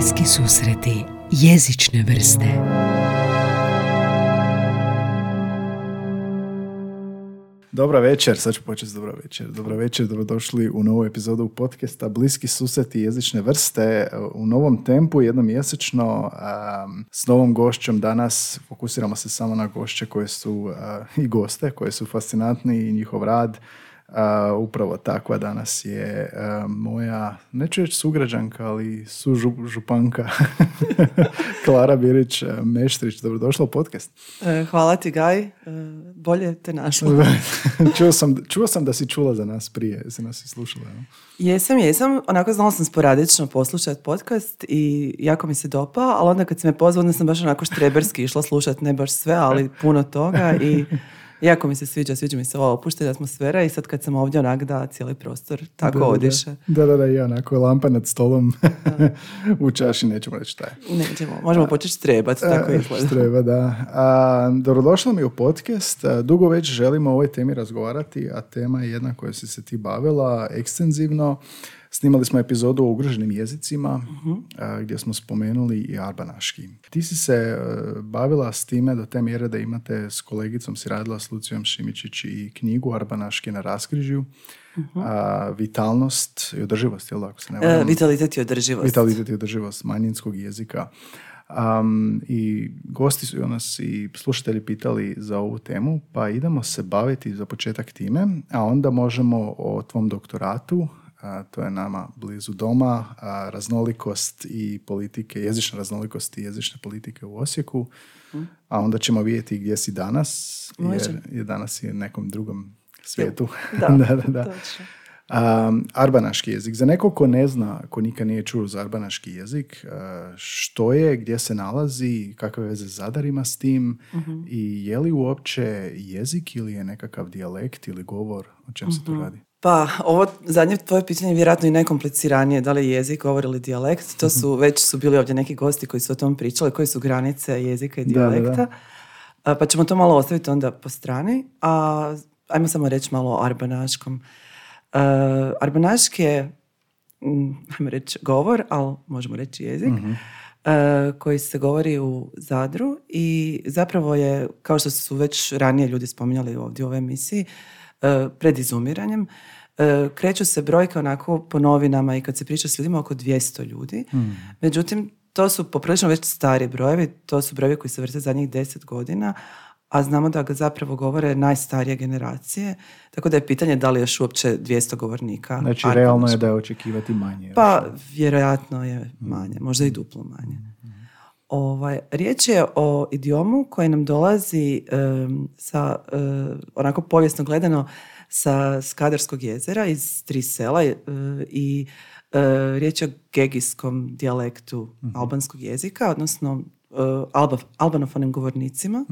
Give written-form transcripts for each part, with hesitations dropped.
Bliski susreti jezične vrste. Dobra večer, sad ću početi s dobra večer, dobrodošli u novu epizodu podcasta Bliski susreti jezične vrste u novom tempu, jednomjesečno, s novom gošćom. Danas fokusiramo se samo na gošće koje su i goste, koje su fascinantni i njihov rad. Upravo takva danas je moja, neću reći sugrađanka, ali sužupanka Klara Birić-Meštrić. Dobrodošla u podcast. Hvala ti, Gaj. Bolje te našla. Čuo sam da si čula za nas prije, si nas i slušala. No? Jesam. Onako znala sam sporadično poslušati podcast i jako mi se dopao, ali onda kad si me pozvao, onda sam baš onako štreberski išla slušati, ne baš sve, ali puno toga i jako mi se sviđa mi se ova opuštena atmosfera i sad kad sam ovdje onak da cijeli prostor tako odiše. Da, i onako lampa nad stolom u čaši, nećemo reći šta je. Nećemo, možemo početi štrebati, tako izgleda. Štreba, da. Dobrodošla mi u podcast. Dugo već želimo o ovoj temi razgovarati, a tema je jedna koja si se ti bavila ekstenzivno. Snimali smo epizodu o ugroženim jezicima, gdje smo spomenuli i arbanaški. Ti si se bavila s time do te mjere da imate s kolegicom, si radila s Lucijom Šimičić i knjigu Arbanaški na raskrižju. Vitalnost i održivost, jel' ako se ne varam? Vitalitet i održivost manjinskog jezika. I gosti su nas i slušatelji pitali za ovu temu, pa idemo se baviti za početak time, a onda možemo o tvom doktoratu. To je nama blizu doma, raznolikost i politike, jezična raznolikost i jezične politike u Osijeku, a onda ćemo vidjeti gdje si danas, jer danas je u nekom drugom svijetu. Da. Arbanaški jezik. Za nekog ko ne zna, ko nikad nije čuo za arbanaški jezik, što je, gdje se nalazi, kakve veze Zadar ima s tim i je li uopće jezik ili je nekakav dijalekt ili govor, o čem se to radi? Pa, ovo zadnje tvoje pitanje je vjerojatno i najkompliciranije, da li je jezik, govor ili dijalekt. To su, već su bili ovdje neki gosti koji su o tom pričali, koji su granice jezika i dijalekta. Da. Pa ćemo to malo ostaviti onda po strani. Ajmo samo reći malo o arbanaškom. Arbanaški je, ajmo reći, govor, ali možemo reći jezik, koji se govori u Zadru i zapravo je, kao što su već ranije ljudi spominjali ovdje u ovoj emisiji, pred izumiranjem. Kreću se brojke onako po novinama i kad se priča s ljudima oko 200 ljudi. Međutim, to su poprilično već stari brojevi, to su brojevi koji se vrte zadnjih 10 godina, a znamo da ga zapravo govore najstarije generacije, tako da je pitanje da li još uopće 200 govornika. Znači, realno je da je očekivati manje. Pa, vjerojatno je manje, možda i duplo manje. Riječ je o idiomu koji nam dolazi sa, onako povijesno gledano, sa Skadarskog jezera iz 3 sela i riječ je o gegijskom dijalektu albanskog jezika, odnosno albanofonim govornicima.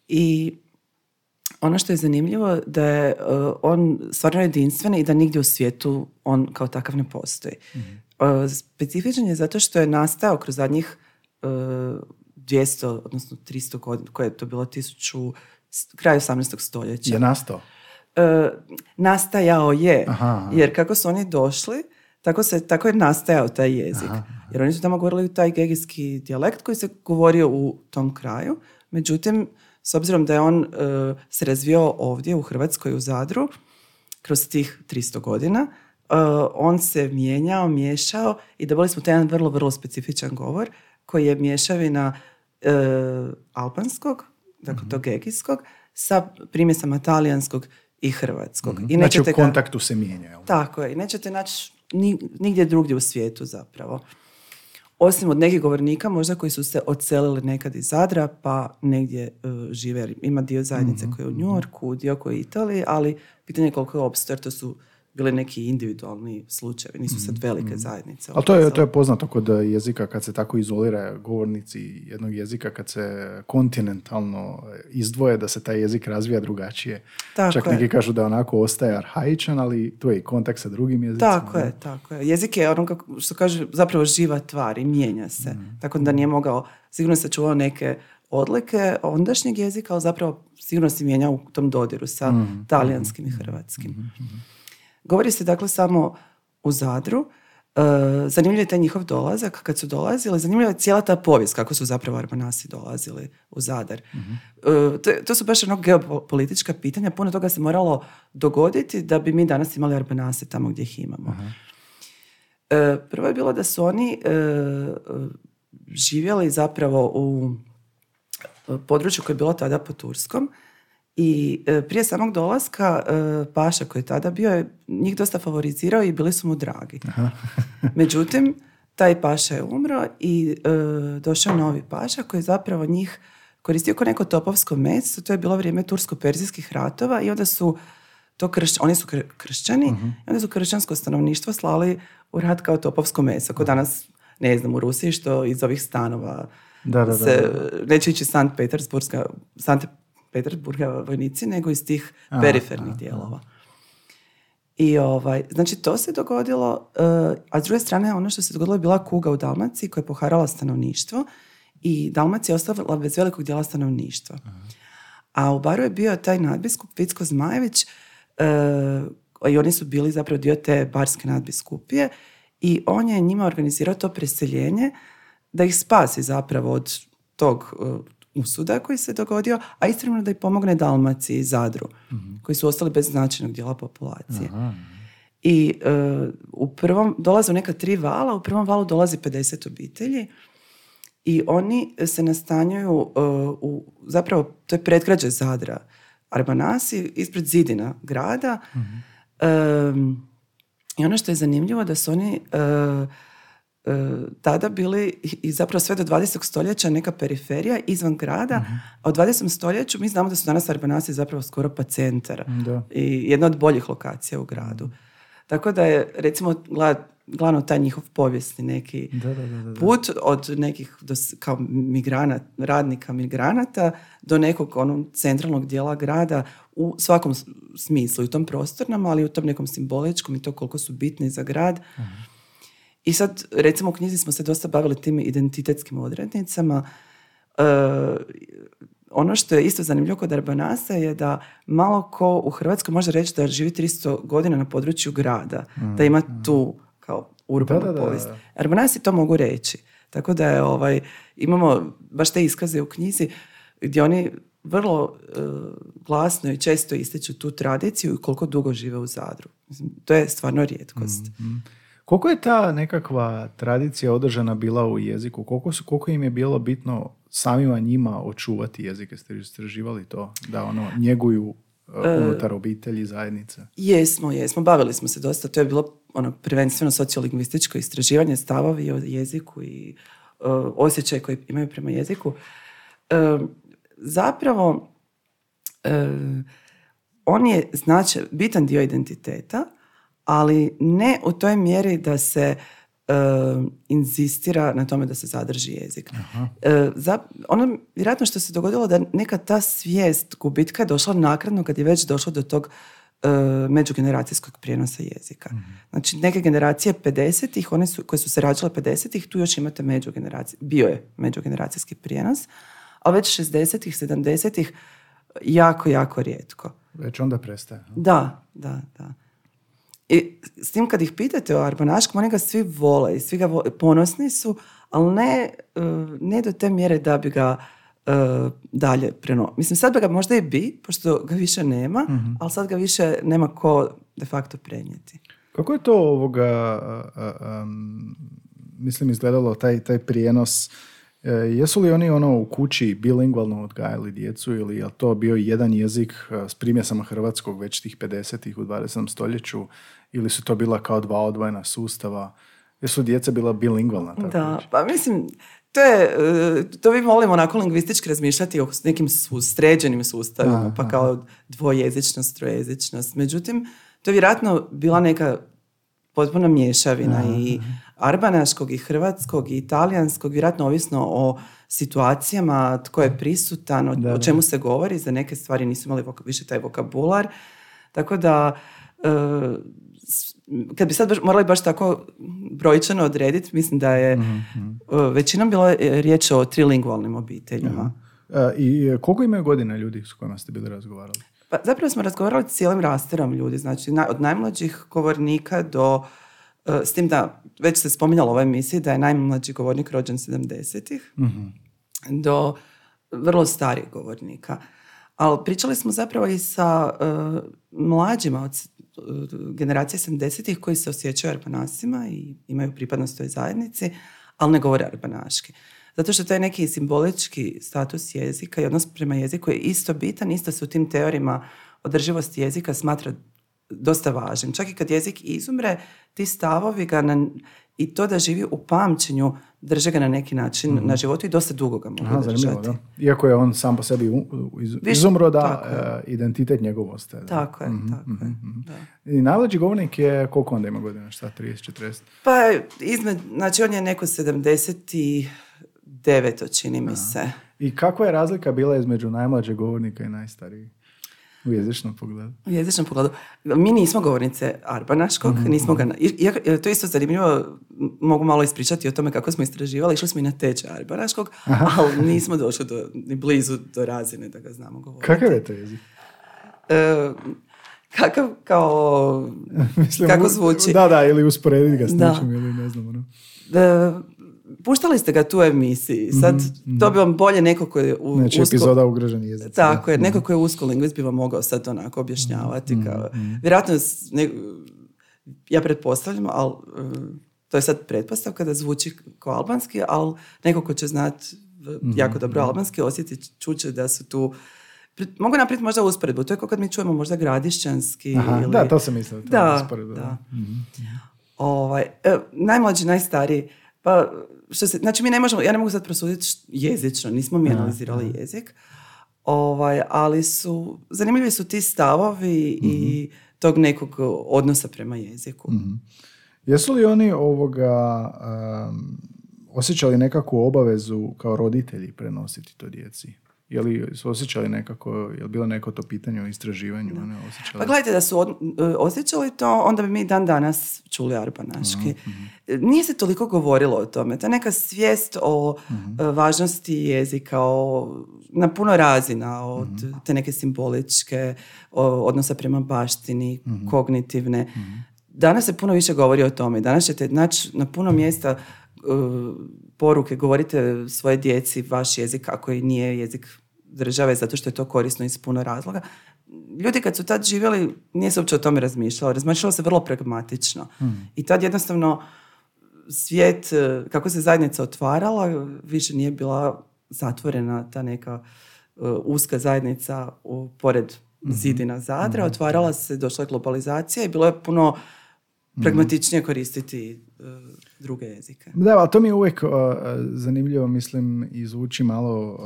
I ono što je zanimljivo da je on stvarno jedinstven i da nigdje u svijetu on kao takav ne postoji. Specifičan je zato što je nastao kroz zadnjih 200, odnosno 300 godina, koje je to bilo kraj 18. stoljeća. Je nastao? Nastajao je. Aha. Jer kako su oni došli, tako je nastajao taj jezik. Jer oni su tamo govorili taj gegijski dijalekt koji se govorio u tom kraju. Međutim, s obzirom da je on se razvio ovdje u Hrvatskoj, u Zadru, kroz tih 300 godina, on se miješao i dobili smo taj jedan vrlo, vrlo specifičan govor koji je mješavina albanskog, dakle tog gegijskog, sa primjesama talijanskog i hrvatskog. I znači u kontaktu se mijenja. Tako je. I nećete naći nigdje drugdje u svijetu zapravo. Osim od nekih govornika možda koji su se odselili nekad iz Zadra pa negdje žive. Ima dio zajednice koji je u New Yorku, dio koji je u Italiji, ali pitanje je koliko je opstao, to su bili neki individualni slučajevi, nisu sad velike zajednice. Ali to je poznato kod jezika kad se tako izolira govornici jednog jezika, kad se kontinentalno izdvoje, da se taj jezik razvija drugačije. Tako čak neki kažu da onako ostaje arhaičan, ali tu je i kontakt sa drugim jezicima. Tako je. Jezik je ono što kaže zapravo živa tvar i mijenja se. Tako da nije mogao, sigurno se čuvao neke odlike ondašnjeg jezika, ali zapravo sigurno se mijenja u tom dodiru sa talijanskim i hrvatskim. Govori se dakle samo u Zadru. zanimljiv je taj njihov dolazak, kad su dolazili, zanimljiva je cijela ta povijest, kako su zapravo Arbanasi dolazili u Zadar. To su baš geopolitička pitanja, puno toga se moralo dogoditi da bi mi danas imali Arbanase tamo gdje ih imamo. Prvo je bilo da su oni živjeli zapravo u području koje je bilo tada pod Turskom i prije samog dolaska paša koji je tada bio je njih dosta favorizirao i bili su mu dragi. Međutim, taj paša je umro i došao novi paša koji je zapravo njih koristio kao neko topovsko meso. To je bilo vrijeme tursko-perzijskih ratova i onda su oni su kršćani i onda su kršćansko stanovništvo slali u rat kao topovsko meso. Kao danas, ne znam, u Rusiji što iz ovih stanova neće ići Sankt Petersburga vojnici, nego iz tih perifernih dijelova. I znači to se dogodilo, a s druge strane ono što se dogodilo je bila kuga u Dalmaciji koja je poharala stanovništvo i Dalmacija je ostala bez velikog dijela stanovništva. A u Baru je bio taj nadbiskup Vicko Zmajević i oni su bili zapravo dio te barske nadbiskupije i on je njima organizirao to preseljenje da ih spasi zapravo od tog usuda koji se dogodio, a istovremeno da ih pomogne Dalmaciji i Zadru, koji su ostali bez značajnog dijela populacije. I u prvom dolaze neka 3 vala, u prvom valu dolazi 50 obitelji i oni se nastanjuju zapravo, to je predgrađe Zadra, Arbanasi, ispred zidina grada. I ono što je zanimljivo da su oni tada bili i zapravo sve do 20. stoljeća neka periferija izvan grada, a u 20. stoljeću mi znamo da su danas Arbanasi zapravo skoro pa centar i jedna od boljih lokacija u gradu. Tako da je, recimo, glavno taj njihov povijesni neki put od nekih kao radnika migranata do nekog centralnog dijela grada u svakom smislu, i u tom prostornom, ali i u tom nekom simboličkom i to koliko su bitni za grad. I sad, recimo, u knjizi smo se dosta bavili tim identitetskim odrednicama. Ono što je isto zanimljivo kod Arbanasa je da malo ko u Hrvatskoj može reći da živi 300 godina na području grada, da ima tu kao urbanu povijest. Arbanasi to mogu reći. Tako da je, imamo baš te iskaze u knjizi gdje oni vrlo glasno i često ističu tu tradiciju i koliko dugo žive u Zadru. Mislim, to je stvarno rijetkost. Koliko je ta nekakva tradicija održana bila u jeziku? Koliko im je bilo bitno samima njima očuvati jezik? Jeste istraživali to? Da njeguju unutar obitelji, zajednice? Jesmo. Bavili smo se dosta. To je bilo prvenstveno sociolingvističko istraživanje, stavovi o jeziku i osjećaj koji imaju prema jeziku. Zapravo, on je bitan dio identiteta, ali ne u toj mjeri da se inzistira na tome da se zadrži jezik. Ono vjerojatno što se dogodilo da neka ta svijest gubitka je došla naknadno kad je već došlo do tog međugeneracijskog prijenosa jezika. Znači neke generacije 50-ih, one koje su se rađale 50-ih, tu još imate bio je međugeneracijski prijenos, a već 60-ih, 70-ih jako, jako rijetko. Već onda prestaje. Da. I s tim kad ih pitate o arbanaškom, oni ga svi vole i svi ga ponosni su, ali ne do te mjere da bi ga dalje Mislim, sad ga možda i bi, pošto ga više nema, ali sad ga više nema ko de facto prenijeti. Kako je to izgledalo, taj prijenos? Jesu li oni u kući bilingvalno odgajali djecu ili je to bio jedan jezik s primjesama hrvatskog već tih 50-ih u 20. stoljeću ili su to bila kao 2 odvojena sustava? Jesu djeca bila bilingvalna? Da, pa mislim, to mi volimo onako lingvistički razmišljati o nekim sređenim sustavima, pa kao dvojezičnost, trojezičnost. Međutim, to je vjerojatno bila neka potpuno mješavina i arbanaškog i hrvatskog i italijanskog, vjerojatno ovisno o situacijama, tko je prisutan, o čemu se govori. Za neke stvari nisu imali više taj vokabular. Tako da, kad bi sad morali baš tako brojčano odrediti, mislim da je većinom bilo riječ o trilingvalnim obiteljima. I koliko imaju godina ljudi s kojima ste bili razgovarali? Pa zapravo smo razgovarali s cijelim rasterom ljudi, znači od najmlađih govornika do S tim da, već se spominjalo u ovoj emisiji da je najmlađi govornik rođen 70-ih do vrlo starih govornika. Ali pričali smo zapravo i sa mlađima od generacije 70-ih koji se osjećaju arbanasima i imaju pripadnost toj zajednici, ali ne govore arbanaški. Zato što taj neki simbolički status jezika i odnos prema jeziku je isto bitan, isto se u tim teorijama održivosti jezika smatra dosta važnim. Čak i kad jezik izumre, ti stavovi ga i to da živi u pamćenju drže ga na neki način na životu i dosta dugo ga mogu držati. Da. Iako je on sam po sebi izumro, da identitet njegov ostaje. Tako je. Da. I najmlađi govornik je, koliko onda ima godina? Šta, 30, 40? Pa, znači on je neko 79, čini mi se. I kakva je razlika bila između najmlađeg govornika i najstarijeg? U jezičnom pogledu. U jezičnom pogledu. Mi nismo govornice arbanaškog, nismo ga... To je isto zanimljivo, mogu malo ispričati o tome kako smo istraživali. Išli smo i na tečaj arbanaškog, ali nismo došli ni blizu do razine da ga znamo govoriti. Kakav je to jezik? Kakav kao... Mislim, kako zvuči? Da, ili usporediti ga s nečim, ili ne znam. Puštali ste ga tu u emisiji. Sad to bi vam bolje neko koji je epizoda ugroženi jezici. Tako je, neko koji je usko lingvist bi vam mogao sad onako objašnjavati. Vjerojatno, ja pretpostavljam, ali to je sad pretpostavka da zvuči kao albanski, ali neko ko će znati jako dobro albanski, osjetit čuće da su tu... Mogu napraviti možda usporedbu. To je kao kad mi čujemo možda gradišćanski. Ili... Da, to sam mislio. Da. Najmlađi, najstariji. Pa, znači mi ne možemo, ja ne mogu sad prosuditi jezično, nismo mi analizirali jezik, ali zanimljivi su ti stavovi i tog nekog odnosa prema jeziku. Jesu li oni osjećali nekakvu obavezu kao roditelji prenositi to djeci? Je li su osjećali nekako, je li bilo neko to pitanje o istraživanju? Pa gledajte, da su osjećali to, onda bi mi dan danas čuli arbanaški. Nije se toliko govorilo o tome. Ta neka svijest o važnosti jezika, na puno razina, od te neke simboličke, odnosa prema baštini, kognitivne. Danas se puno više govori o tome. Danas ćete naći na puno mjesta poruke, govorite svoje djeci vaš jezik ako i nije jezik države, zato što je to korisno iz puno razloga. Ljudi kad su tad živjeli, nije se uopće o tome razmišljalo se vrlo pragmatično. I tad jednostavno svijet, kako se zajednica otvarala, više nije bila zatvorena ta neka uska zajednica pored zidina Zadra, otvarala se, došla je globalizacija i bilo je puno pragmatičnije koristiti druge jezike. Da, ali to mi je uvijek zanimljivo, mislim, i zvuči malo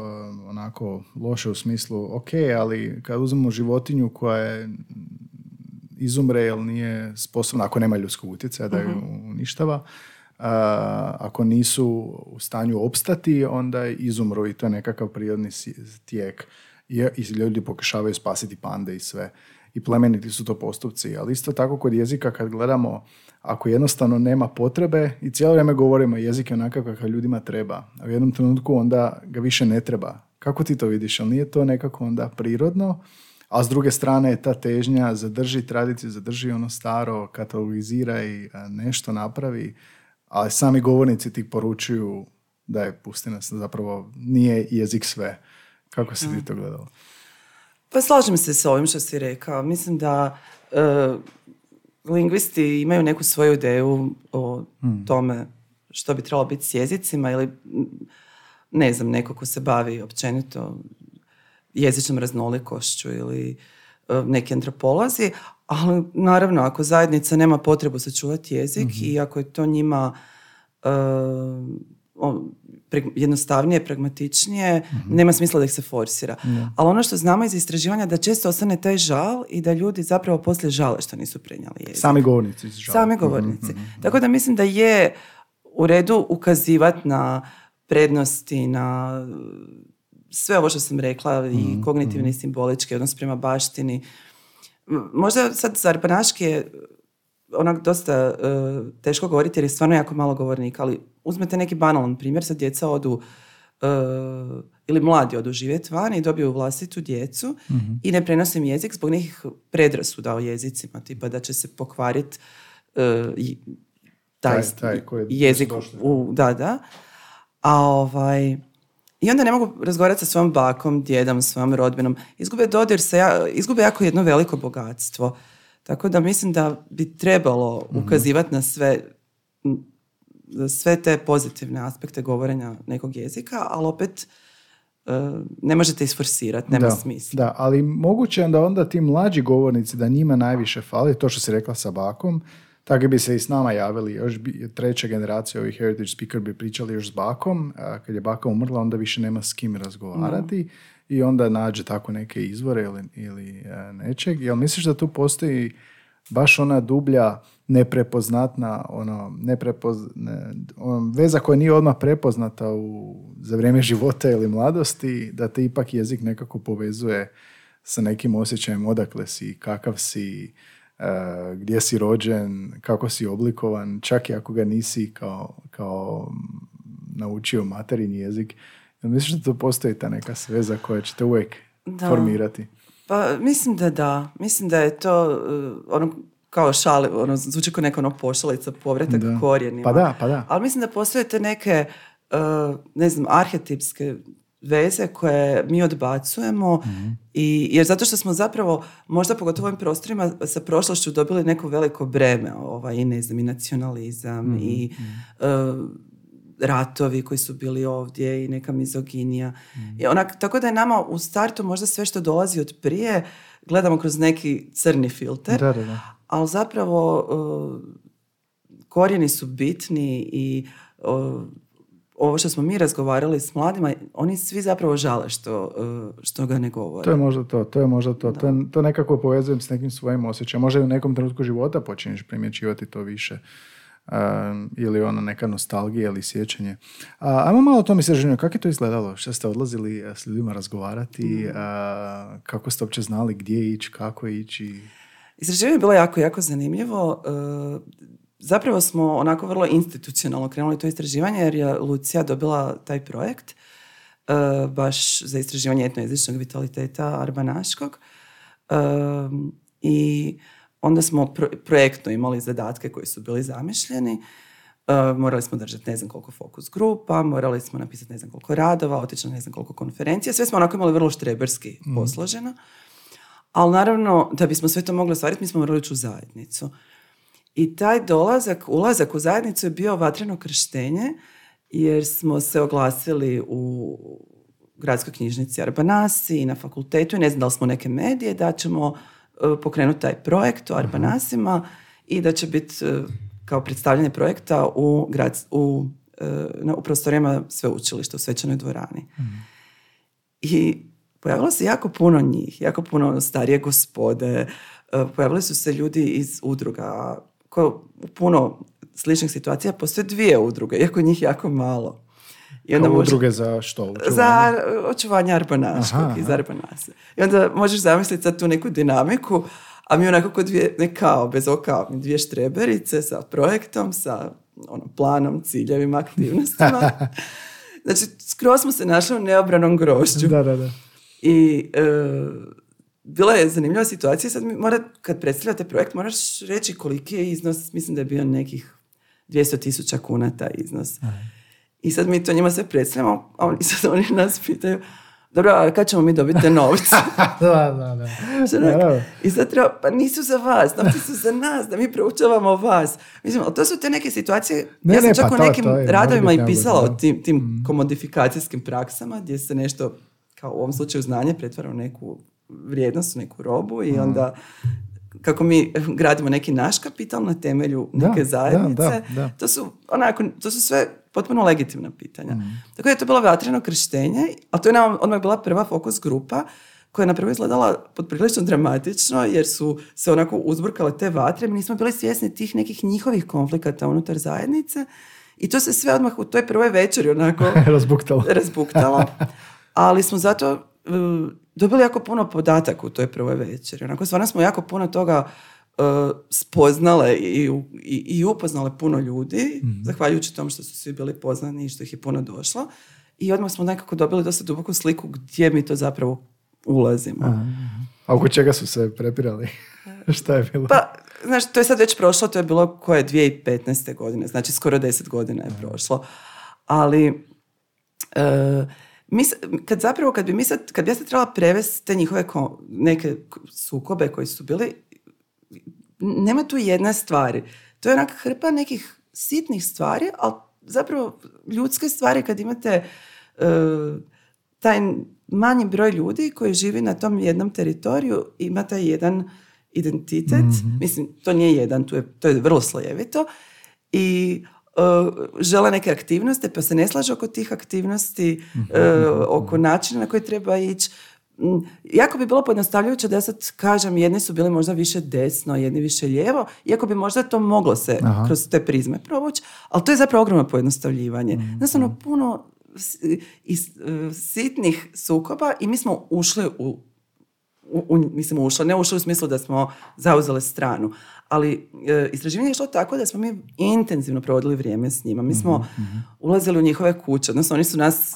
onako loše u smislu, ok, ali kad uzmemo životinju koja je izumre jer nije sposobna, ako nema ljudskog utjecaja da ju uništava, ako nisu u stanju opstati, onda izumru i to je nekakav prirodni tijek. I ljudi pokušavaju spasiti pande i sve. I plemeniti su to postupci, ali isto tako kod jezika kad gledamo, ako jednostavno nema potrebe i cijelo vrijeme govorimo jezik je onakav kakav ljudima treba, a u jednom trenutku onda ga više ne treba. Kako ti to vidiš? Ali nije to nekako onda prirodno, a s druge strane je ta težnja zadrži tradiciju, zadrži ono staro, katalogizira i nešto napravi, ali sami govornici ti poručuju da je pustina zapravo nije jezik sve. Kako si ti to gledala? Pa slažem se s ovim što si rekao. Mislim da lingvisti imaju neku svoju ideju o tome što bi trebalo biti s jezicima ili ne znam, neko ko se bavi općenito jezičnom raznolikošću ili neki antropolozi, ali naravno ako zajednica nema potrebu sačuvati jezik i ako je to njima jednostavnije, pragmatičnije, nema smisla da ih se forsira. Ali ono što znamo iz istraživanja da često ostane taj žal i da ljudi zapravo poslije žale što nisu prenijeli jezik. Sami govornici. Sami govornici. Tako da mislim da je u redu ukazivati na prednosti, na sve ovo što sam rekla i kognitivni i simbolički odnos prema baštini. Možda sad za arbanaški je onak dosta teško govoriti jer je stvarno jako malo govornika, ali uzmete neki banalan primjer, sad djeca odu ili mladi odu živjeti van i dobiju vlastitu djecu i ne prenose im jezik zbog nekih predrasuda o jezicima, tipa da će se pokvariti taj jezik. Da. I onda ne mogu razgovarati sa svojom bakom, djedom, svojom rodbinom. Izgube dodir izgube jako jedno veliko bogatstvo. Tako da mislim da bi trebalo ukazivati na sve te pozitivne aspekte govorenja nekog jezika, ali opet ne možete isforsirati, nema smisla. Da, ali moguće je onda ti mlađi govornici da njima najviše fali, to što si rekla sa bakom, tako bi se i s nama javili, još treća generacija ovih heritage speaker bi pričali još s bakom, a kad je baka umrla onda više nema s kim razgovarati i onda nađe tako neke izvore ili nečeg. Jel misliš da tu postoji baš ona dublja neprepoznatna veza koja nije odmah prepoznata za vrijeme života ili mladosti, da te ipak jezik nekako povezuje sa nekim osjećajem odakle si, kakav si, gdje si rođen, kako si oblikovan, čak i ako ga nisi kao naučio materinji jezik. Misliš da tu postoji ta neka veza koja će te uvijek formirati? Pa mislim da. Mislim da je to kao šale, zvuči kao neka pošalica, povratak korijenima. Pa da. Ali mislim da postoje te neke, arhetipske veze koje mi odbacujemo jer zato što smo zapravo, možda pogotovo u ovim prostorima sa prošlošću dobili neko veliko breme, i nacionalizam i ratovi koji su bili ovdje i neka mizoginija. I tako da je nama u startu možda sve što dolazi od prije gledamo kroz neki crni filter, ali zapravo korijeni su bitni i ovo što smo mi razgovarali s mladima, oni svi zapravo žale što ga ne govore. To je možda to. To nekako povezujem s nekim svojim osjećajem. Možda i u nekom trenutku života počinješ primjećivati to više. Ili neka nostalgija ili sjećanje. Ajmo malo o tom istraživanju. Kako je to izgledalo? Što ste odlazili s ljudima razgovarati? Kako ste uopće znali gdje ići, kako ići? Istraživanje je bilo jako, jako zanimljivo. Zapravo smo onako vrlo institucionalno krenuli to istraživanje jer je Lucija dobila taj projekt baš za istraživanje etnojezičnog vitaliteta arbanaškog. I onda smo projektno imali zadatke koji su bili zamišljeni. Morali smo držati ne znam koliko fokus grupa, morali smo napisati ne znam koliko radova, otići na ne znam koliko konferencija. Sve smo onako imali vrlo štreberski posloženo. Ali naravno, da bismo sve to mogli ostvariti, mi smo morali ući u zajednicu. I taj ulazak u zajednicu je bio vatreno krštenje, jer smo se oglasili u gradskoj knjižnici Arbanasi i na fakultetu i ne znam da li smo neke medije, da ćemo pokrenuti taj projekt o Arbanasima i da će biti kao predstavljanje projekta u prostorijama sveučilišta u Svečanoj dvorani. I pojavilo se jako puno njih, jako puno starije gospode, pojavili su se ljudi iz udruga koje u puno sličnih situacija postoje 2 udruge, iako njih jako malo. I onda udruge za što? Očuvanje? Za očuvanje arbanaškog iz Arbanasa. I onda možeš zamisliti sad tu neku dinamiku, a mi onako kod bez oka, 2 štreberice sa projektom, sa planom, ciljevima, aktivnostima. Znači, skroz smo se našli u neobranom grožđu. Da. I bila je zanimljiva situacija. Sad kad predstavljate projekt, moraš reći koliki je iznos. Mislim da je bio nekih 200,000 kuna taj iznos. I sad mi to njima sve predstavljamo, a oni nas pitaju, dobro, a kad ćemo mi dobiti te novce? Da. I sad treba, pa nisu za vas, novci su za nas, da mi proučavamo vas. Mislim, ali to su te neke situacije, ja sam čak u nekim radovima i pisala o tim komodifikacijskim praksama, gdje se nešto, kao u ovom slučaju znanje, pretvara u neku vrijednost, u neku robu i onda kako mi gradimo neki naš kapital na temelju neke zajednice. Da. To su sve potpuno legitimna pitanja. Tako da je to bilo vatreno krštenje, a to je nam odmah bila prva fokus grupa koja je napravo izgledala poprilično dramatično jer su se onako uzburkale te vatre. Mi nismo bili svjesni tih nekih njihovih konflikata unutar zajednice i to se sve odmah u toj prvoj večeri onako razbuktalo. Ali smo zato dobili jako puno podataka u toj prvoj večeri. Onako, stvarno smo jako puno toga spoznale i upoznale puno ljudi, zahvaljujući tom što su svi bili poznani i što ih je puno došlo. I odmah smo nekako dobili dosta duboku sliku gdje mi to zapravo ulazimo. A oko čega su se prepirali? Šta je bilo? Pa, znaš, to je sad već prošlo, to je bilo koje 2015. godine, znači skoro 10 godina je prošlo. Ali kad bi ja sad trebala prevesti te njihove neke sukobe koji su bili, nema tu jedne stvari. To je onak hrpa nekih sitnih stvari, ali zapravo ljudske stvari kad imate taj manji broj ljudi koji živi na tom jednom teritoriju, ima taj jedan identitet, mislim, to nije jedan, to je vrlo slojevito i žele neke aktivnosti, pa se ne slaže oko tih aktivnosti, oko načina na koji treba ići. Jako bi bilo pojednostavljujuće da ja sad kažem, jedni su bili možda više desno, jedni više lijevo, iako bi možda to moglo se kroz te prizme provući, ali to je zapravo ogromno pojednostavljivanje. Jednostavno puno sitnih sukoba i mi smo ušli ne ušli u smislu da smo zauzeli stranu, ali istraživanje je šlo tako da smo mi intenzivno provodili vrijeme s njima. Mi smo ulazili u njihove kuće, odnosno oni su nas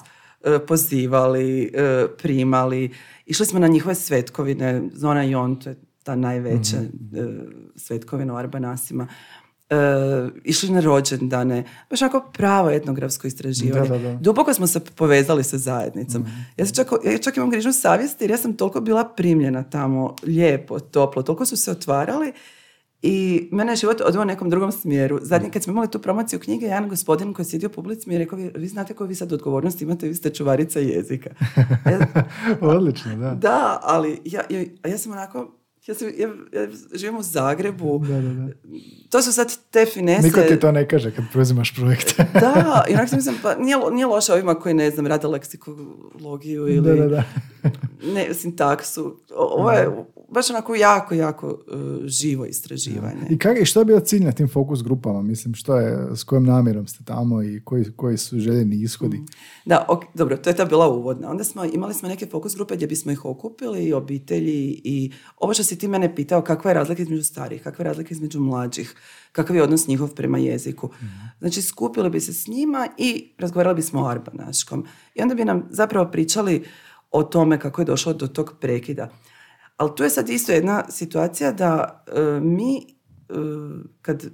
pozivali, primali, išli smo na njihove svetkovine, Zona Jon, to je ta najveća svetkovina u Arbanasima, išli na rođendane, baš onako pravo etnografsko istraživanje. Da. Duboko smo se povezali sa zajednicom. Ja čak imam grižnu savjesti jer ja sam toliko bila primljena tamo, lijepo, toplo, toliko su se otvarali i mene je život odveo u nekom drugom smjeru. Zadnji, kad smo imali tu promociju knjige, jedan gospodin koji je sjedio u publici mi je rekao, vi znate koju vi sad odgovornost imate, vi ste čuvarica jezika. Odlično, da. Da, ali ja sam onako, ja živim u Zagrebu. Da. To su sad te finese. Niko ti to ne kaže kad preuzimaš projekte. Da, i onako sam mislim, pa nije loše ovima koji, ne znam, rade leksikologiju ili ne, sintaksu. Ovo je baš onako jako živo istraživanje. I što je bio cilj na tim fokus grupama? Mislim, s kojom namjerom ste tamo i koji su željeni ishodi? Da, dobro, to je ta bila uvodna. Onda imali smo neke fokus grupe gdje bismo ih okupili, i obitelji, i ovo što si ti mene pitao, kakva je razlika između starih, kakva je razlika između mlađih, kakav je odnos njihov prema jeziku. Znači, skupili bi se s njima i razgovarali bismo o arbanaškom. I onda bi nam zapravo pričali o tome kako je došlo do tog prekida. Ali tu je sad isto jedna situacija da mi kad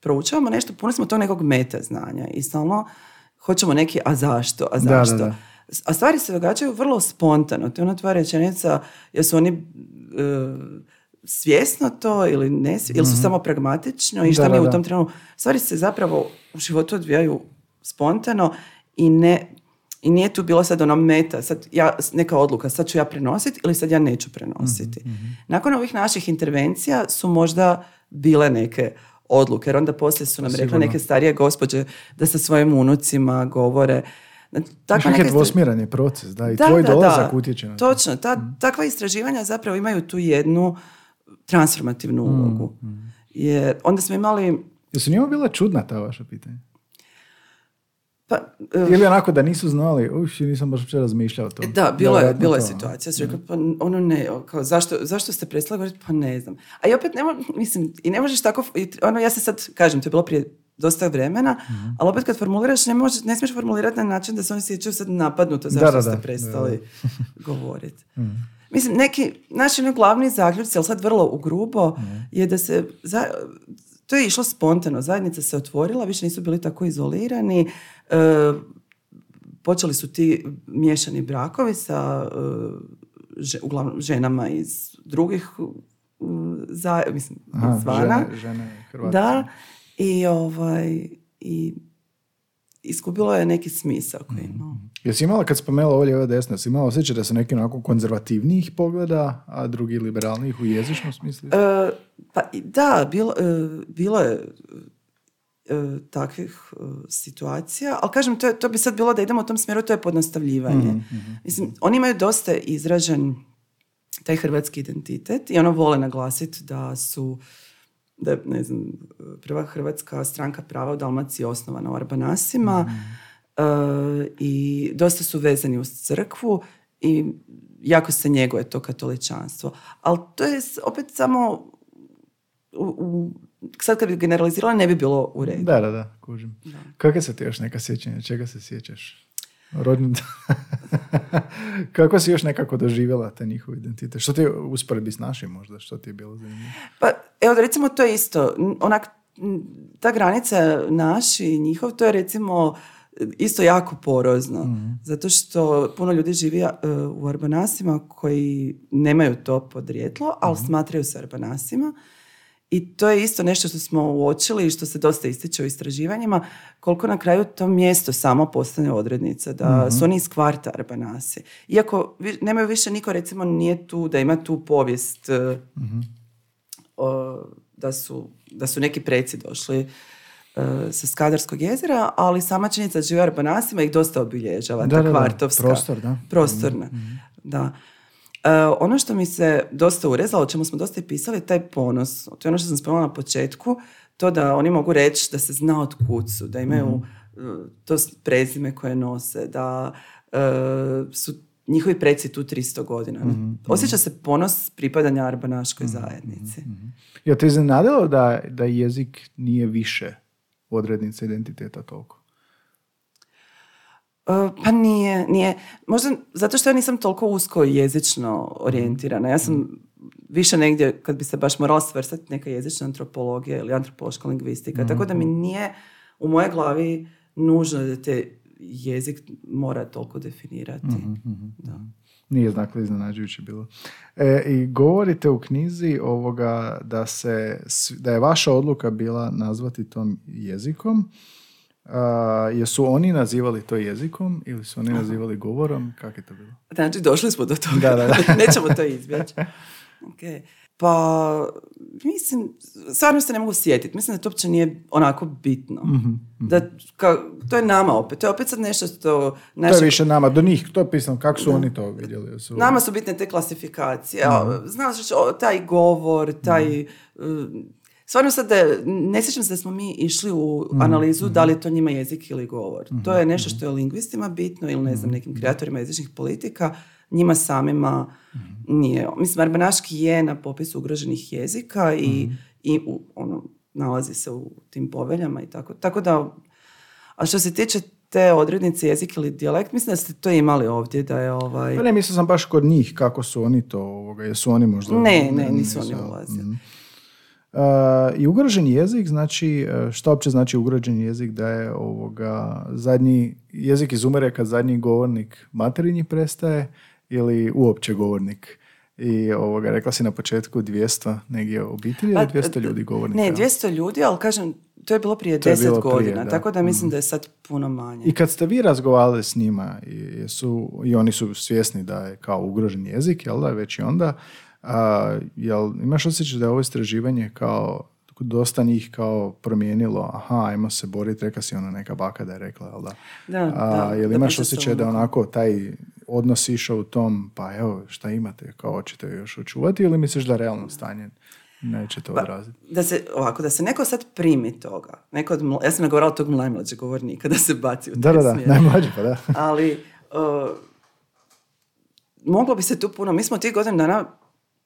proučavamo nešto, puno smo tog nekog meta znanja i stalno hoćemo neki a zašto. Da. A stvari se događaju vrlo spontano. To je ona tvoja rečenica, jesu oni svjesno to ili ne, ili su samo pragmatično i šta mi u tom trenutku. Stvari se zapravo u životu odvijaju spontano i nije tu bilo sad ono meta, sad neka odluka, sad ću ja prenositi ili sad ja neću prenositi. Nakon ovih naših intervencija su možda bile neke odluke, jer onda poslije su nam rekle neke starije gospođe da sa svojim unucima govore. Neki dvosmjeran je proces, da, i tvoj dolazak utječe na to. Točno, takva istraživanja zapravo imaju tu jednu transformativnu ulogu. Jer onda smo imali... Jesu njima bila čudna ta vaša pitanja? Ili onako da nisu znali, nisam baš uopće razmišljao o tom. Da, bilo je situacija. Su rekli, pa ono ne, kao, zašto ste prestali govoriti? Pa ne znam. A i opet ne možeš tako, ja se sad kažem, to je bilo prije dosta vremena, ali opet kad formuliraš, ne smiješ formulirati na način da se oni sjećaju sad napadnuto zašto ste prestali govoriti. Mislim, neki naši glavni zaključci, ali sad vrlo ugrubo, je da se... To je išlo spontano, zajednica se otvorila, više nisu bili tako izolirani, počeli su ti miješani brakovi sa uglavnom ženama iz drugih zvana. Žene Hrvatske. Da, i iskupilo je neki smisao koji imao. Jesi imala, kad spomenula ovo lijeva desna, jesi imala osjećaj da su neki onako konzervativnijih pogleda, a drugi liberalnijih u jezičnom smislu? Pa da, bilo je takvih situacija, ali kažem, to bi sad bilo da idemo u tom smjeru, to je pojednostavljivanje. Mislim, oni imaju dosta izražen taj hrvatski identitet i ono vole naglasiti da ne znam, prva hrvatska stranka prava u Dalmaciji je osnovana u Arbanasima i dosta su vezani uz crkvu i jako se njeguje to katoličanstvo. Ali to je opet samo sad kad bi generalizirala ne bi bilo u redu. Da, kužim. Kakve su ti još neka sjećanja? Čega se sjećaš? Kako si još nekako doživjela taj njihov identitet? Što ti je usporedbi s našim možda? Što ti je bilo zanimljivo? Pa evo da recimo to je isto. Ta granica naš i njihov, to je recimo isto jako porozno. Zato što puno ljudi živi u Arbanasima koji nemaju to podrijetlo, ali smatraju se Arbanasima. I to je isto nešto što smo uočili i što se dosta ističe u istraživanjima, koliko na kraju to mjesto samo postane odrednica, da su oni iz kvarta Arbanasi. Iako nemaju više niko, recimo, nije tu, da ima tu povijest da su neki preci došli sa Skadarskog jezera, ali sama činjenica da žive u Arbanasima ih dosta obilježava, ta kvartovska. Prostorna. Da. Ono što mi se dosta urezalo, o čemu smo dosta i pisali, taj ponos. To je ono što sam spomenula na početku, to da oni mogu reći da se zna od kud su, da imaju to prezime koje nose, da su njihovi preci tu 300 godina. Osjeća se ponos pripadanja arbanaškoj zajednici. Ja te iznenadilo da jezik nije više odrednica identiteta toliko? Pa nije. Možda zato što ja nisam toliko usko jezično orijentirana. Ja sam više negdje, kad bi se baš morala svrstati, neka jezična antropologija ili antropološka lingvistika. Tako da mi nije u mojoj glavi nužno da te jezik mora toliko definirati. Da. Nije znakle iznenađujuće bilo. I govorite u knjizi da je vaša odluka bila nazvati tom jezikom. Jesu oni nazivali to jezikom ili su oni nazivali govorom? Kako je to bilo? Znači, došli smo do toga. Da. Nećemo to izbjeći. Okay. Pa, mislim, stvarno se ne mogu sjetiti. Mislim da to uopće nije onako bitno. To je nama opet. To je opet sad nešto što... To je više nama. Do njih, to je pisano. Kako su oni to vidjeli? Nama su bitne te klasifikacije. Znaš, taj govor, taj... Stvarno sad, ne sjećam se da smo mi išli u analizu da li je to njima jezik ili govor. To je nešto što je lingvistima bitno ili ne znam, nekim kreatorima jezičnih politika, njima samima nije. Mislim, arbanaški je na popisu ugroženih jezika i nalazi se u tim poveljama i tako. Tako da, a što se tiče te odrednice jezik ili dijalekt, mislim da ste to imali ovdje, da je Pa ne, mislim sam baš kod njih, kako su oni to, jesu oni možda... Ne, nisu oni ulazili. I ugrožen jezik, znači, što uopće znači ugrožen jezik? Da je zadnji jezik izumire kad zadnji govornik materinji prestaje ili uopće govornik? I rekla si na početku 200 negdje obitelji ili 200 ljudi govornika? Ne, 200 ljudi, ali kažem, to je bilo prije 10 godina, tako da mislim da je sad puno manje. I kad ste vi razgovarali s njima, i oni su svjesni da je kao ugrožen jezik, jel da, već i onda, jel imaš osjećaj da je ovo istraživanje kao dosta njih kao promijenilo, ajmo se boriti, reka si neka baka da je rekla, jel da? Jel imaš osjećaj da onako taj odnos išao u tom, pa evo, šta imate, kao hoćete još očuvati, ili misliš da realno stanje neće to odraziti? Da se neko sad primi toga, ja sam nagovorala tog najmlađeg govornika da se baci u taj smjer. Da, najmlađi, pa da. Ali moglo bi se tu puno, mi smo tih godina dana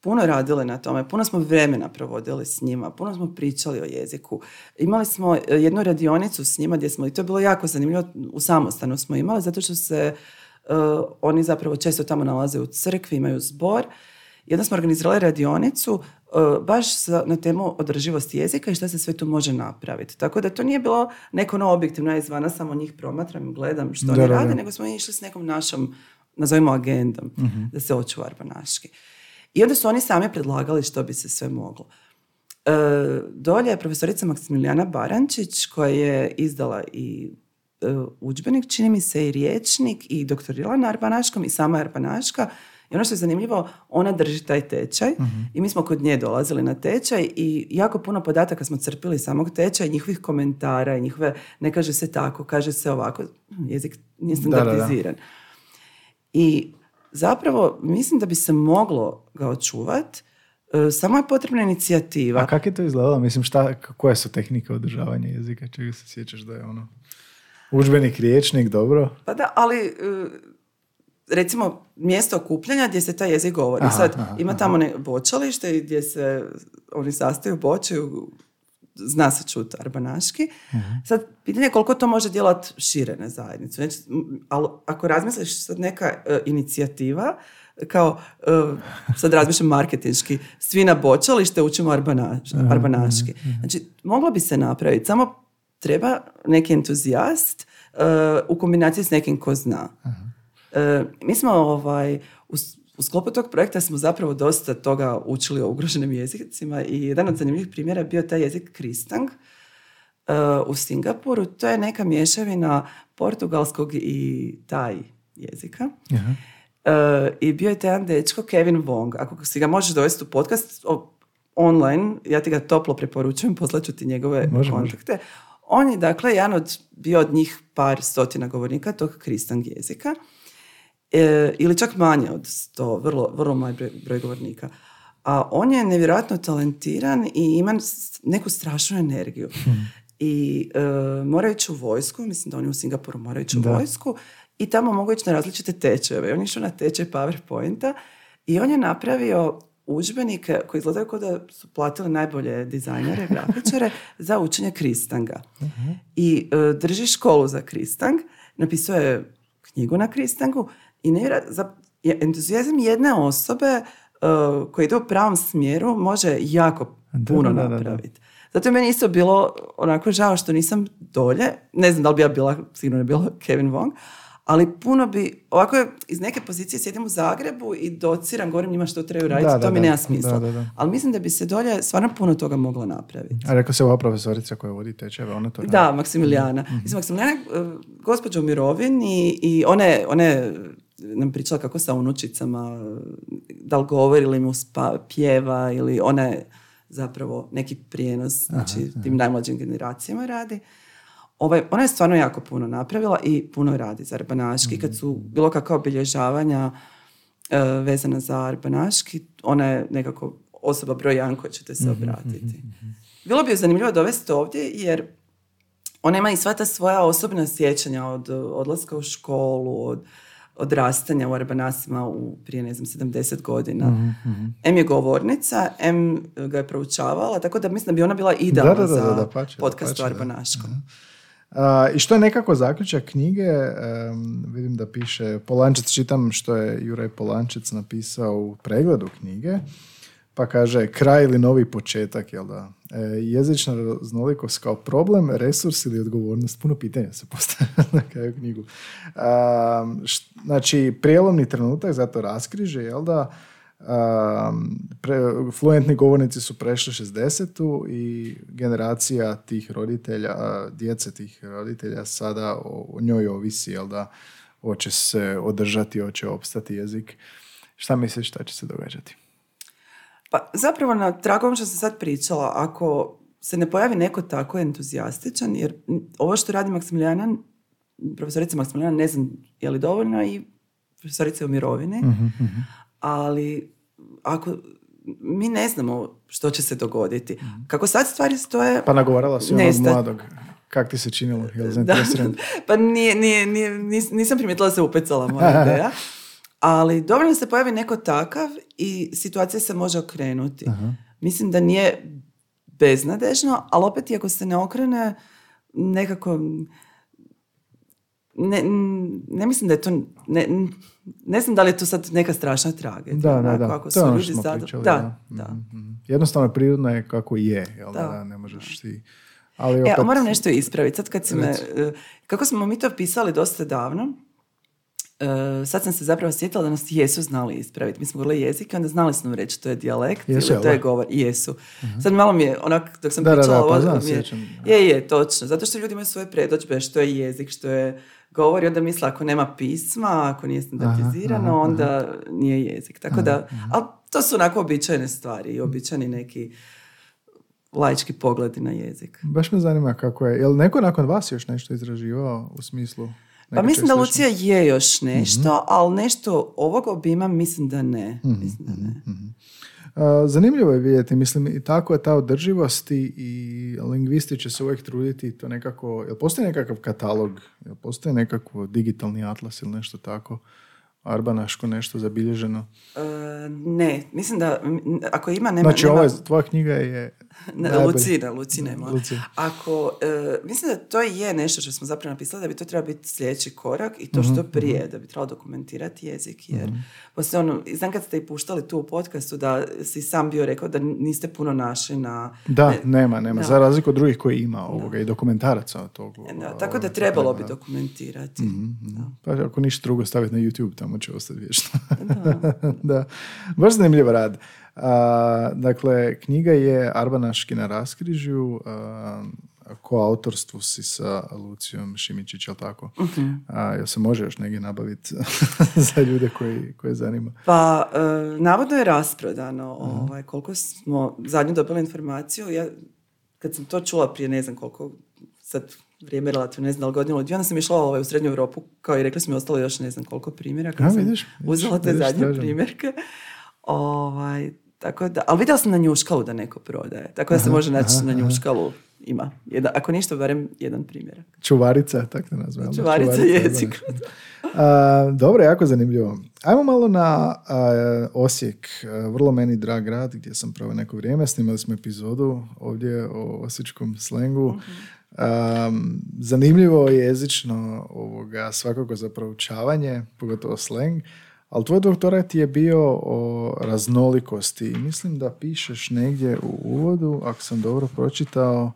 puno radili na tome, puno smo vremena provodili s njima, puno smo pričali o jeziku. Imali smo jednu radionicu s njima gdje smo, i to je bilo jako zanimljivo, u samostanu smo imali, zato što se oni zapravo često tamo nalaze u crkvi, imaju zbor. Jedno smo organizirali radionicu baš na temu održivosti jezika i šta se sve tu može napraviti. Tako da to nije bilo neko objektivno, ja izvana samo njih promatram i gledam što oni rade, nego smo išli s nekom našom, nazovimo agendom, da se očuva arbanaški. I onda su oni sami predlagali što bi se sve moglo. Dolje je profesorica Maksimilijana Barančić koja je izdala i udžbenik, čini mi se i rječnik, i doktorirala na arbanaškom i sama arbanaška. I ono što je zanimljivo, ona drži taj tečaj i mi smo kod nje dolazili na tečaj i jako puno podataka smo crpili samog tečaja, njihovih komentara i njihove, ne kaže se tako, kaže se ovako, jezik nije standardiziran. I zapravo mislim da bi se moglo ga očuvati, samo je potrebna inicijativa. A kako je to izgledalo? Mislim, koje su tehnike održavanja jezika? Čega se sjećaš da je udžbenik, rječnik, dobro? Pa da, ali recimo mjesto okupljanja gdje se taj jezik govori. Sad ima tamo bočalište gdje se oni sastaju, bočaju, zna se čuti arbanaški. Sad, pitanje je koliko to može djelovati šire na zajednicu. Znači, ali ako razmisliš sad neka inicijativa, kao, sad razmišljam marketinški, svi na bočalište učimo arbanaški. Znači, moglo bi se napraviti, samo treba neki entuzijast u kombinaciji s nekim ko zna. Mi smo u sklopu tog projekta smo zapravo dosta toga učili o ugroženim jezicima i jedan od zanimljivih primjera je bio taj jezik Kristang u Singapuru. To je neka mješavina portugalskog i taj jezika. I bio je taj jedan dečko Kevin Wong. Ako si ga možeš dovesti u podcast online, ja ti ga toplo preporučujem, poslaću ti njegove kontakte. On je, dakle, bio od njih par stotina govornika tog Kristang jezika. Ili čak manje od 100, vrlo mali broj govornika. A on je nevjerojatno talentiran i ima neku strašnu energiju. I mora ići u vojsku, mislim da oni u Singapuru moraju ići u vojsku, i tamo mogu ići na različite tečajeve. On je išao na tečaj PowerPointa i on je napravio udžbenike koji izgledaju kao da su platili najbolje dizajnere, grafičare za učenje Kristanga. I drži školu za Kristang, napisao je knjigu na Kristangu i entuzijazam jedne osobe koja ide u pravom smjeru može jako puno napraviti. Zato je meni isto bilo onako žao što nisam dolje. Ne znam da li bi ja bila, sigurno je bila Kevin Wong, ali puno bi, ovako iz neke pozicije sjedim u Zagrebu i dociram, govorim njima što trebaju raditi, to mi nema smisla. Ali mislim da bi se dolje stvarno puno toga moglo napraviti. A rekao se ova profesorica koja vodi tečajeve, ona to radi? Da, Maksimilijana. Mislim, Maksimilijana gospođa u mirovini i one nam pričala kako sa unučicama, da li govori ili mu pjeva ili one zapravo neki prijenos, znači tim najmlađim generacijama radi. Ona je stvarno jako puno napravila i puno radi za arbanaški. Kad su bilo kakva obilježavanja vezana za arbanaški, ona je nekako osoba broj 1 koja ćete se obratiti. Bilo bi je zanimljivo dovesti ovdje jer ona ima i sva ta svoja osobna sjećanja od odlaska u školu, od odrastanja u arbanasima prije, 70 godina. M je govornica, M ga je proučavala, tako da mislim da bi ona bila idealna za podcast o arbanaškom. I što je nekako zaključak knjige, vidim da piše Polančec, čitam što je Juraj Polančec napisao u pregledu knjige, pa kaže kraj ili novi početak, jel da? Jezična raznolikost kao problem, resurs ili odgovornost, puno pitanja se postavlja na kraju knjigu. Znači, prijelomni trenutak, zato raskriže, jel da? Fluentni govornici su prešli 60. i generacija tih roditelja, djece tih roditelja sada o njoj ovisi, jel da, hoće se održati, hoće opstati jezik. Šta misliš šta će se događati? Pa zapravo na tragu što sam sad pričala, ako se ne pojavi neko tako entuzijastičan, jer ovo što radi Maksimilijana, profesorica Maksimilijana, ne znam je li dovoljno, i profesorica je u mirovini, ali ako mi ne znamo što će se dogoditi. Kako sad stvari stoje... Pa nagovarala si onog mladog. Kak ti se činilo? Pa nisam primijetila da se upecala moja ideja. Ali dovoljno se pojavi neko takav i situacija se može okrenuti. Mislim da nije beznadežno, ali opet i ako se ne okrene, nekako... Ne mislim da je to... Ne znam da li je to sad neka strašna tragedija. Da. Ako to je ono što smo pričali. Da. Jednostavno prirodno je kako je. Jel da? Ne možeš ti... Ali opet... moram nešto ispraviti. Sad kad si kako smo mi to pisali dosta davno, sad sam se zapravo sjetila da nas jesu znali ispraviti. Mi smo govorili jezike, onda znali smo reći to je dijalekt ili to je govor. Jesu. Sad malo mi je, dok sam pričala... Je, točno. Zato što ljudi imaju svoje predodžbe, što je jezik, što je govor, i onda misle ako nema pisma, ako nije standardizirano, onda nije jezik. Tako da, ali to su onako običajne stvari i običajni neki laički pogledi na jezik. Baš me zanima kako je. Je li neko nakon vas još nešto izraživao u smislu? Pa mislim da Lucija je još nešto, ali nešto ovog obima mislim da ne. Zanimljivo je vidjeti, mislim, i tako je ta održivost i lingvisti će se uvijek truditi to nekako, jel postoji nekakav katalog, jel postoji nekakav digitalni atlas ili nešto tako, arbanaško nešto zabilježeno? Ne, mislim da ako ima... Znači, tvoja knjiga je Lucine. Ako, mislim da to je nešto što smo zapravo napisali da bi to trebalo biti sljedeći korak i to što prije, da bi trebalo dokumentirati jezik, jer poslije znam kad ste i puštali tu u podcastu da si sam bio rekao da niste puno našli na... Da, nema. Za razliku od drugih koji ima i dokumentaraca od tog. Tako da trebalo bi dokumentirati. Pa ako ništa drugo staviti na YouTube, tamo će ostati vječno. Da. Baš zanimljiv rad. Dakle, knjiga je Arbanaški na raskrižju, koautorstvu si sa Lucijom Šimičić, jel tako? Jel se može još negdje nabaviti za ljude koje zanima? Pa, navodno je rasprodano. Koliko smo zadnju dobili informaciju, kad sam to čula prije ne znam koliko, sad vrijeme relativno, ne znam, godinu od 2, onda sam išla u Srednju Europu, kao i rekli smo mi ostalo još ne znam koliko primjeraka. Uzela te zadnje primjerke. Tako da, ali vidjela sam na Njuškalu da neko prodaje. Tako da se može naći na Njuškalu. Ima. Ako ništa, barem jedan primjerak. Čuvarica, tako da nazvamo. Čuvarica jezika. Dobro, jako zanimljivo. Ajmo malo na Osijek. Vrlo meni drag grad gdje sam proveo neko vrijeme. Snimali smo epizodu ovdje o osječkom slengu. Zanimljivo jezično svakako za proučavanje, pogotovo sleng. Ali tvoj doktorat je bio o raznolikosti i mislim da pišeš negdje u uvodu, ako sam dobro pročitao,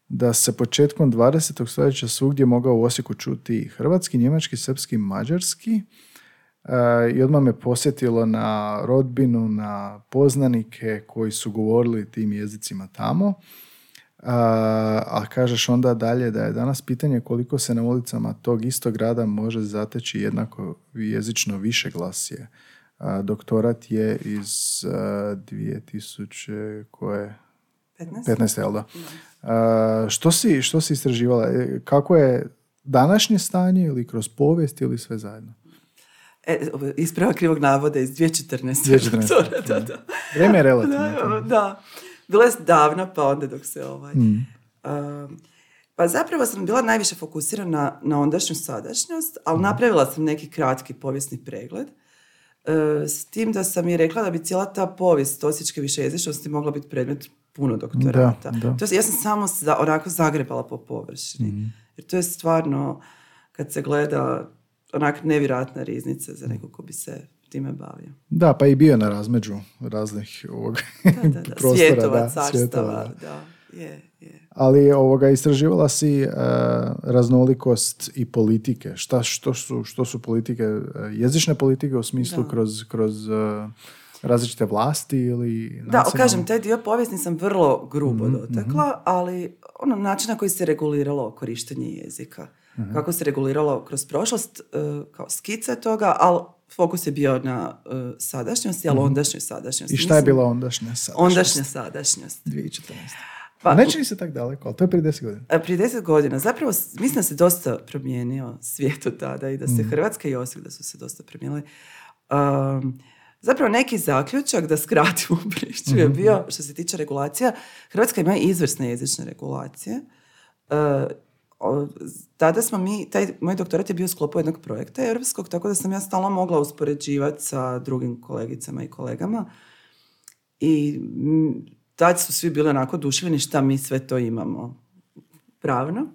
da se početkom 20. stoljeća svugdje mogao u Osijeku čuti hrvatski, njemački, srpski, mađarski i odmah me posjetilo na rodbinu, na poznanike koji su govorili tim jezicima tamo. A kažeš onda dalje da je danas pitanje koliko se na ulicama tog istog grada može zateći jednako jezično više glasje. Doktorat je iz 2000 koje? 15, jel da? Što si istraživala? Kako je današnje stanje ili kroz povijest ili sve zajedno? Isprava krivog navoda iz 2014. Da. Vrijeme je relativno. Da. Bilo je davno, pa onda dok se pa zapravo sam bila najviše fokusirana na ondašnju sadašnjost, ali napravila sam neki kratki povijesni pregled. S tim da sam i rekla da bi cijela ta povijest osječke višejezičnosti mogla biti predmet puno doktorata. Da. Ja sam samo onako zagrebala po površini. Jer to je stvarno, kad se gleda, onak nevjerojatna riznica za nekog ko bi se time bavio. Da, pa i bio na razmeđu raznih prostora. Svjetova, carstava, je. Ali istraživala si raznolikost i politike. Što su politike, jezične politike u smislu kroz različite vlasti ili nacionalne? Da, kažem, taj dio povijesni sam vrlo grubo dotakla, ali način na koji se reguliralo korištenje jezika. Kako se reguliralo kroz prošlost, kao skice toga, ali fokus je bio na sadašnjosti, ali ondašnjoj sadašnjosti. I šta je bila ondašnja sadašnjost? Ondašnja sadašnjost. 2014. Pa, ne čini se tako daleko, ali to je prije 10 godina. Prije 10 godina. Zapravo, mislim da se dosta promijenio svijet od tada i da se Hrvatska i Osijek da su se dosta promijenili. Zapravo, neki zaključak, da skratimo priču, je bio, što se tiče regulacija, Hrvatska ima izvrsne jezične regulacije. Tada smo moj doktorat je bio u sklopu jednog projekta europskog, tako da sam ja stalno mogla uspoređivati sa drugim kolegicama i kolegama i tad su svi bili onako oduševljeni šta mi sve to imamo pravno,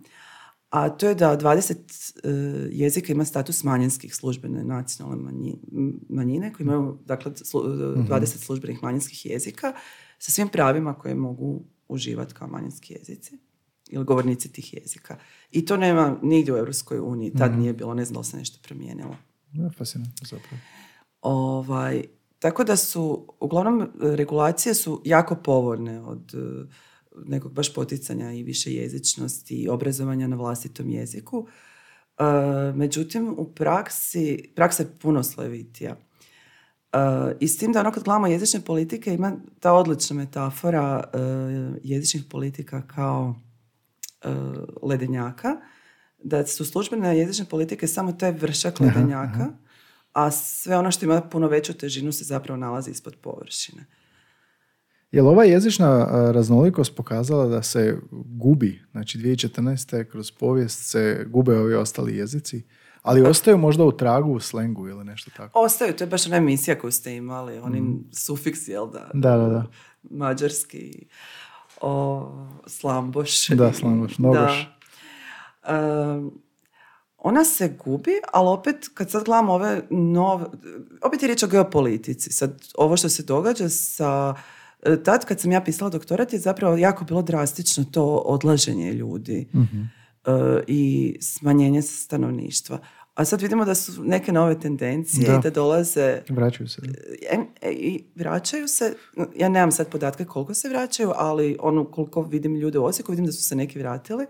a to je da 20 jezika ima status manjinskih službene nacionalne manjine koji imaju dakle 20 službenih manjinskih jezika sa svim pravima koje mogu uživati kao manjinski jezici ili govornici tih jezika. I to nema nigdje u Europskoj uniji. Tad nije bilo, ne znam da se nešto promijenilo. Fascinantno zapravo. Tako da su, uglavnom, regulacije su jako povoljne od nekog baš poticanja i više jezičnosti i obrazovanja na vlastitom jeziku. Međutim, u praksa je puno slojevitija. I s tim da kad gledamo jezične politike ima ta odlična metafora jezičnih politika kao ledenjaka, da su službene jezične politike samo taj vršak ledenjaka, a sve ono što ima puno veću težinu se zapravo nalazi ispod površine. Je li ova jezična raznolikost pokazala da se gubi? Znači 2014. kroz povijest se gube ovi ostali jezici, ali ostaju možda u tragu u slengu ili nešto tako? Ostaju, to je baš ona emisija koju ste imali, oni sufiksi, jel da? Da. Mađarski. Slamboš. Da, Slamboš, Nogoš. Ona se gubi, ali opet kad sad gledamo ove nove, opet je riječ o geopolitici. Sad, ovo što se događa sa... Tad kad sam ja pisala doktorat je zapravo jako bilo drastično to odlaženje ljudi i smanjenje stanovništva. A sad vidimo da su neke nove tendencije i da dolaze... Vraćaju se. I vraćaju se. Ja nemam sad podatke koliko se vraćaju, ali koliko vidim ljude u Osijeku, vidim da su se neki vratili.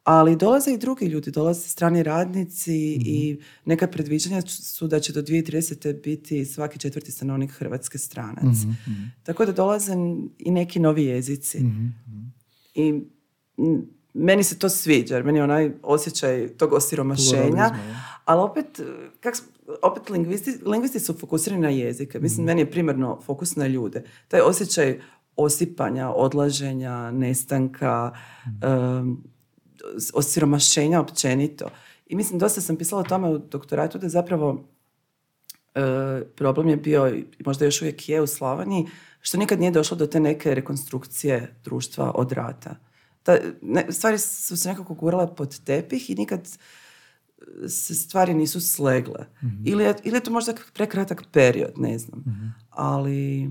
Ali dolaze i drugi ljudi, dolaze strani radnici i neka predviđanja su da će do 2030. biti svaki 4. stanovnik Hrvatske stranac. Tako da dolaze i neki novi jezici. I meni se to sviđa, jer meni je onaj osjećaj tog osiromašenja, ali opet lingvisti su fokusirani na jezike. Mislim, meni je primarno fokus na ljude. Taj osjećaj osipanja, odlaženja, nestanka, osiromašenja općenito. I mislim, dosta sam pisala o tome u doktoratu da zapravo problem je bio, i možda još uvijek je u Slavoniji, što nikad nije došlo do te neke rekonstrukcije društva od rata. Stvari su se nekako gurale pod tepih i nikad se stvari nisu slegle. Ili je to možda prekratak period, ne znam. Ali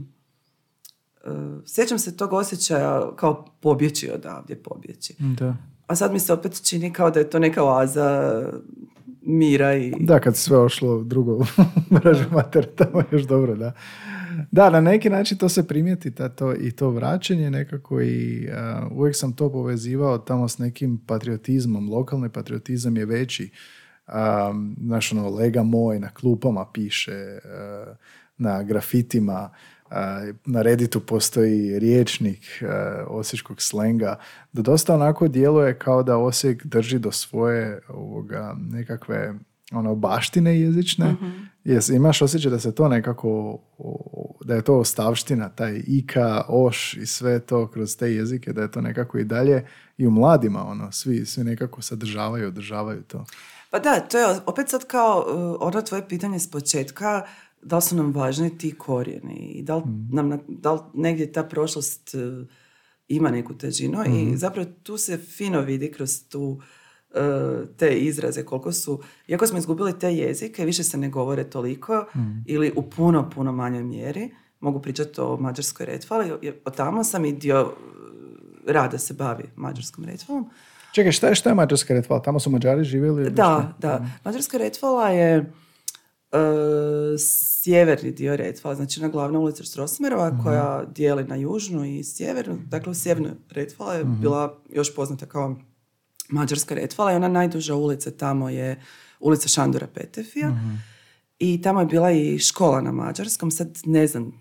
sjećam se tog osjećaja kao pobjeći odavdje, pobjeći. Da. A sad mi se opet čini kao da je to neka oaza mira i... Da, kad se sve ošlo drugo mrežu mater, tamo je još dobro, da. Da, na neki način to se primijeti i to vraćanje nekako i uvijek sam to povezivao tamo s nekim patriotizmom. Lokalni patriotizam je veći. Znaš, lega moj na klupama piše, na grafitima, na Redditu postoji rječnik osječkog slenga, da dosta onako djeluje kao da Osijek drži do svoje nekakve baštine jezične. Imaš osjećaj da se to nekako, da je to ostavština, taj ika, oš i sve to kroz te jezike, da je to nekako i dalje i u mladima, svi nekako sadržavaju, održavaju to. Pa da, to je opet sad kao ono tvoje pitanje s početka, da li su nam važni ti korijeni i da li negdje ta prošlost ima neku težinu i zapravo tu se fino vidi kroz te izraze koliko su, iako smo izgubili te jezike, više se ne govore toliko ili u puno, puno manjoj mjeri. Mogu pričati o mađarskoj retvali, od tamo sam i dio rada se bavi mađarskom retvalom. Čekaj, šta je mađarska retvala? Tamo su Mađari živjeli? Da. Mađarska retvala je sjeverni dio Retvala, znači na glavna ulica Strossmayerova koja dijeli na južnu i sjevernu. Dakle, u sjevernoj Retvala je bila još poznata kao Mađarska Retvala i ona najduža ulica tamo je ulica Šandora Petefija i tamo je bila i škola na mađarskom, sad ne znam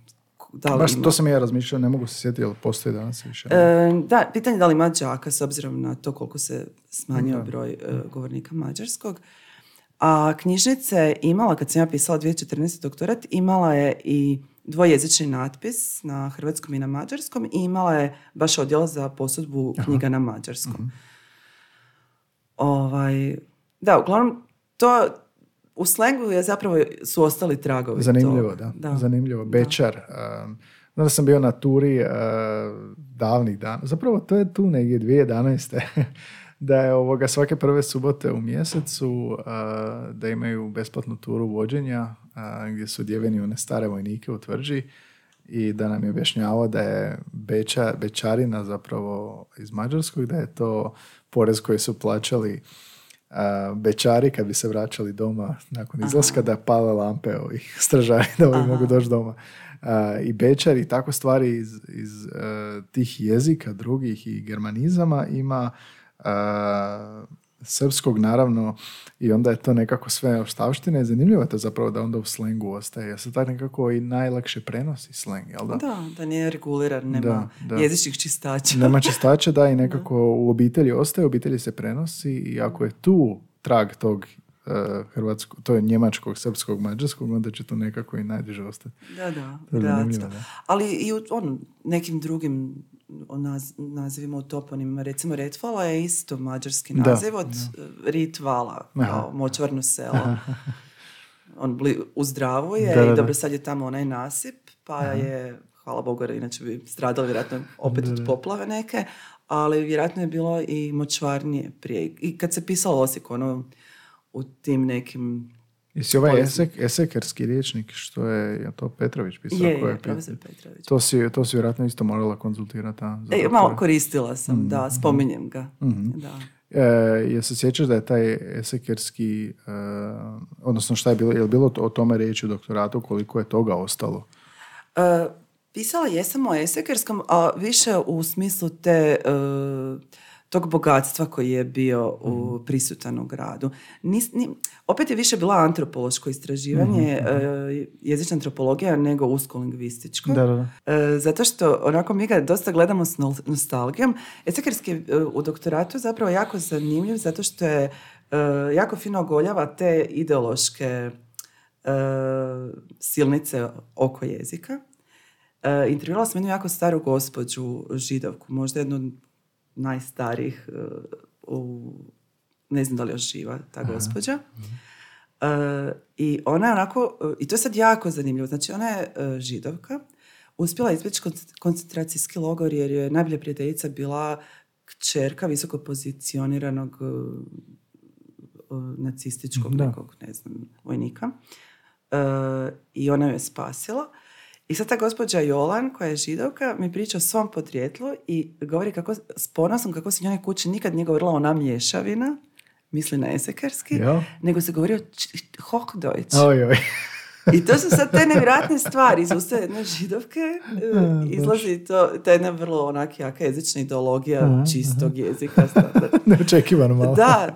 da li baš ima. To sam ja razmišljao, ne mogu se sjetiti, ali postoji danas više. Da, pitanje da li ima đaka s obzirom na to koliko se smanjio broj govornika mađarskog. A knjižnica je imala, kad sam ja pisala 2014. doktorat, imala je i dvojezični natpis na hrvatskom i na mađarskom i imala je baš odjel za posudbu knjiga na mađarskom. Da, uglavnom, to u slengu je zapravo su ostali tragovi. Zanimljivo, da. Zanimljivo. Bečar. Znam da sam bio na turi davnih dana. Zapravo to je tu negdje 2011. da je svake prve subote u mjesecu da imaju besplatnu turu vođenja gdje su odjeveni one stare vojnike u tvrđi i da nam je objašnjavao da je bečarina zapravo iz Mađarskog, da je to porez koji su plaćali bečari kad bi se vraćali doma nakon izlaska, da pale lampe ovih stražari da ovi mogu doći doma. I bečari i tako stvari iz tih jezika drugih i germanizama ima srpskog naravno i onda je to nekako sve ostavštine i zanimljivo je to zapravo da onda u slengu ostaje. Ja se tako nekako i najlakše prenosi sleng, jel da? Da nije reguliran, nema jezičnih čistača. Nema čistača, da, i nekako u obitelji ostaje, u obitelji se prenosi i ako je tu trag tog hrvatskog, to je njemačkog, srpskog, mađarskog, onda će to nekako i najduže ostati. Da. Ali i u nekim drugim nazivima u toponimima, recimo Retvala je isto mađarski naziv od Ritvala, kao močvarno selo. On u Zdravu je i dobro sad je tamo onaj nasip, pa je hvala Bogu, jer inače bi stradali vjerojatno opet od poplave neke, ali vjerojatno je bilo i močvarnije prije. I kad se pisalo Osijek, ono, u tim nekim... Jesi ovaj esekerski riječnik, što je to Petrović pisao? Je, profesor Petrović. To si vjerojatno isto morala konzultirati. Malo koristila sam, da, spominjem ga. Da. Je se sjećaš da je taj esekerski, odnosno šta je bilo, je li bilo o tome riječi u doktoratu, koliko je toga ostalo? Pisala jesam o esekerskom, a više u smislu tog bogatstva koji je bio prisutan u gradu. Opet je više bila antropološko istraživanje, jezična antropologija, nego usko-lingvističko. Da. Zato što onako mi ga dosta gledamo s nostalgijom. Esekerski u doktoratu je zapravo jako zanimljiv zato što je jako fino ogoljava te ideološke silnice oko jezika. Intervjuala sam jednu jako staru gospođu židovku, možda jednu od najstarijih, ne znam da li još živa ta gospođa. I ona je onako, i to je sad jako zanimljivo, znači ona je židovka, uspjela izbjeći koncentracijski logor jer je najbolja prijateljica bila kćerka visoko pozicioniranog nacističkog nekog, ne znam, vojnika. I ona ju je spasila. I sad ta gospođa Jolan, koja je židovka, mi priča o svom podrijetlu i govori kako, s ponosom kako se njoj kući nikad nije govorila ona mješavina, misli na esekerski, nego se govori o Hochdeutsch. I to su sad te nevjerojatne stvari. Iz usta jedne židovke izlazi ta jedna vrlo onak jaka jezična ideologija čistog jezika. Neočekivano malo. Da.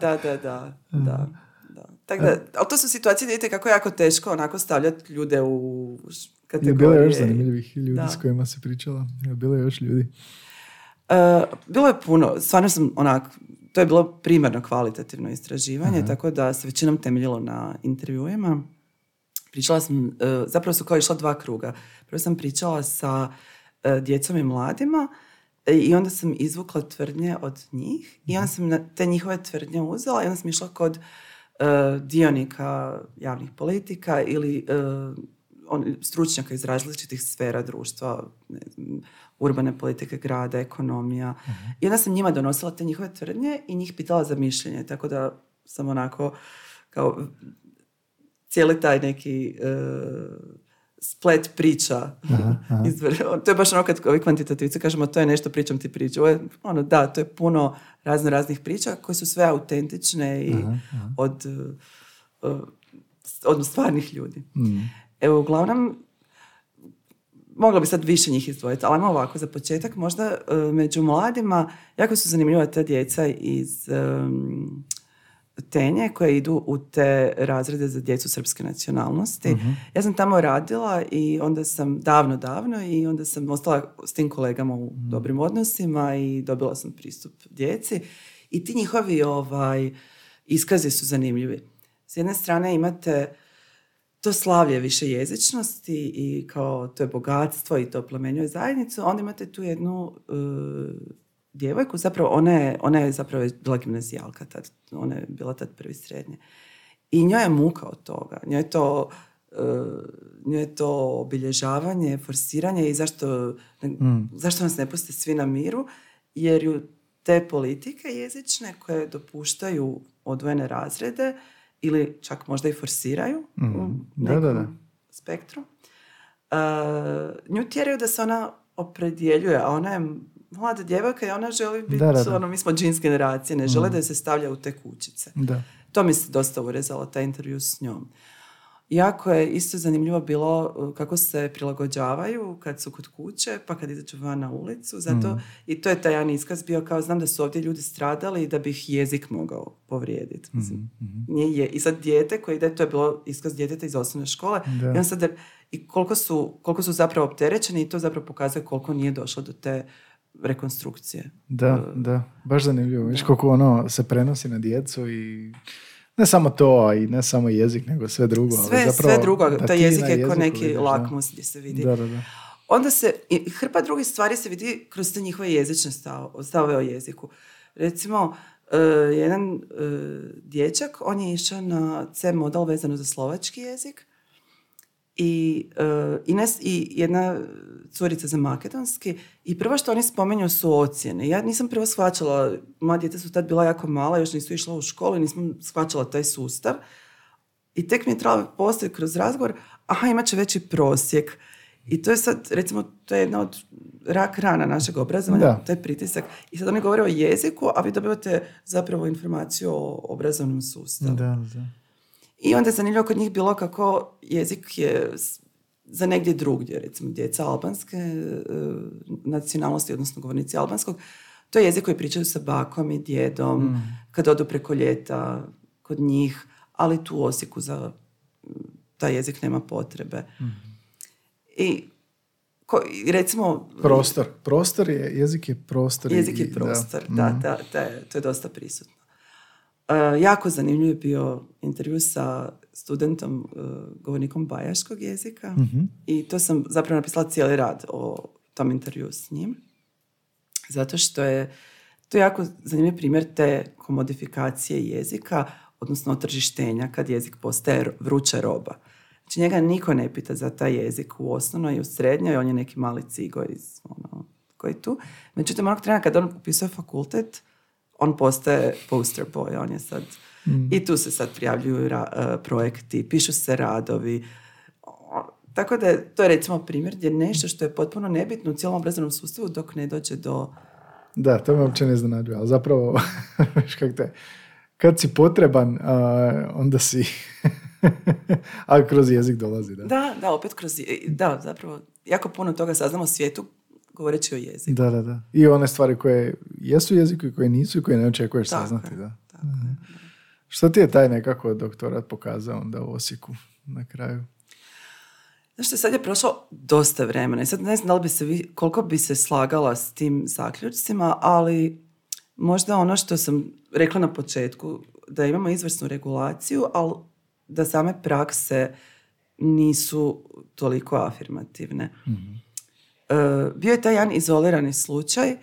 Tako da, ali to su situacije, vidite kako je jako teško onako stavljati ljude u kategorije. Je bilo još zanimljivih ljudi s kojima se pričala? Je bilo još ljudi? Bilo je puno. Stvarno sam to je bilo primarno kvalitativno istraživanje, tako da se većinom temeljilo na intervjuima. Pričala sam, zapravo su kao išla 2 kruga. Prvo sam pričala sa djecom i mladima i onda sam izvukla tvrdnje od njih i onda sam te njihove tvrdnje uzela i onda sam išla kod dionika javnih politika ili stručnjaka iz različitih sfera društva, ne znam, urbane politike grada, ekonomija. I onda sam njima donosila te njihove tvrdnje i njih pitala za mišljenje, tako da sam onako kao cijeli taj neki splet priča. To je baš ono kad ovi kvantitativci kažemo to je nešto, pričam ti priču. To je puno raznih priča koje su sve autentične i od stvarnih ljudi. Evo, uglavnom, mogla bi sad više njih izdvojiti, ali ovako, za početak, možda među mladima jako su zanimljiva ta djeca iz Tenje koje idu u te razrede za djecu srpske nacionalnosti. Ja sam tamo radila i onda sam davno i onda sam ostala s tim kolegama u dobrim odnosima i dobila sam pristup djeci. I ti njihovi iskazi su zanimljivi. S jedne strane imate to slavlje više jezičnosti i kao to je bogatstvo i to plemenjuje zajednicu, onda imate tu jednu djevojku, zapravo ona je zapravo bila gimnazijalka tad, ona je bila tad prvi srednje. I njoj je muka od toga, njoj je to obilježavanje, forsiranje i zašto nas ne puste svi na miru, jer ju te politike jezične koje dopuštaju odvojene razrede ili čak možda i forsiraju u nekom spektru, nju tjeraju da se ona opredjeljuje, a ona je mlada djevojka i ona želi biti, mi smo džins generacije, ne žele da se stavlja u te kućice. To mi se dosta urezalo, taj intervju s njom. Jako je isto zanimljivo bilo kako se prilagođavaju kad su kod kuće, pa kad izađu van na ulicu. Zato, i to je taj jedan iskaz bio kao, znam da su ovdje ljudi stradali i da bi ih jezik mogao povrijediti. I sad dijete koje ide, to je bilo iskaz djeteta iz osnovne škole. I, sad, i koliko su zapravo opterećeni i to zapravo pokazuje koliko nije došlo do te rekonstrukcije. Da, baš zanimljivo. Viš koliko se prenosi na djecu i ne samo to, a i ne samo jezik, nego sve drugo. Sve drugo, taj jezik je kao neki lakmus gdje se vidi. Da. Onda hrpa drugih stvari se vidi kroz te njihove jezične stavove o jeziku. Recimo, jedan dječak, on je išao na C model vezano za slovački jezik i Ines i jedna curica za makedonski i prvo što oni spomenju su ocjene. Ja nisam prvo shvaćala, moja djeca su tad bila jako mala, još nisu išla u školu i nisam shvaćala taj sustav. I tek mi je trebalo postaviti kroz razgovor, imat će veći prosjek. I to je sad, recimo, to je jedna od rak rana našeg obrazovanja, taj pritisak. I sad oni govore o jeziku, a vi dobivate zapravo informaciju o obrazovnom sustavu. Da. I onda je zanimljivo kod njih bilo kako jezik je za negdje drugdje, recimo djeca albanske nacionalnosti, odnosno govornici albanskog, to je jezik koji pričaju sa bakom i djedom, kad odu preko ljeta kod njih, ali tu u Osijeku za taj jezik nema potrebe. I recimo... Prostor je, jezik je prostor. Jezik je prostor, da, to je dosta prisutno. Jako zanimljiv je bio intervju sa studentom, govornikom bajaškog jezika i to sam zapravo napisala cijeli rad o tom intervju s njim. Zato što je to jako zanimljiv primjer te komodifikacije jezika, odnosno otržištenja kad jezik postaje vruća roba. Znači njega niko ne pita za taj jezik u osnovnoj i u srednjoj, on je neki mali cigo iz koji tu. Međutim, onog trena kad on upisuje fakultet, on postaje poster boy, on je sad... I tu se sad prijavljuju projekti, pišu se radovi. Tako da to je recimo primjer gdje nešto što je potpuno nebitno u cijelom obrazovnom sustavu dok ne dođe do... Da, to me uopće ne iznenađuje, ali zapravo kad si potreban, onda si... ali kroz jezik dolazi, da? Da, opet kroz... Da, zapravo, jako puno toga saznamo o svijetu govoreći o jeziku. Da. I one stvari koje jesu jeziku i koje nisu i koje ne očekuješ saznati, da. Tako. Što ti je taj nekako doktorat pokazao onda u Osijeku na kraju? Znaš što, sad je prošlo dosta vremena i sad ne znam da li bi se koliko bi se slagala s tim zaključcima, ali možda ono što sam rekla na početku, da imamo izvrsnu regulaciju, ali da same prakse nisu toliko afirmativne. Bio je taj jedan izolirani slučaj,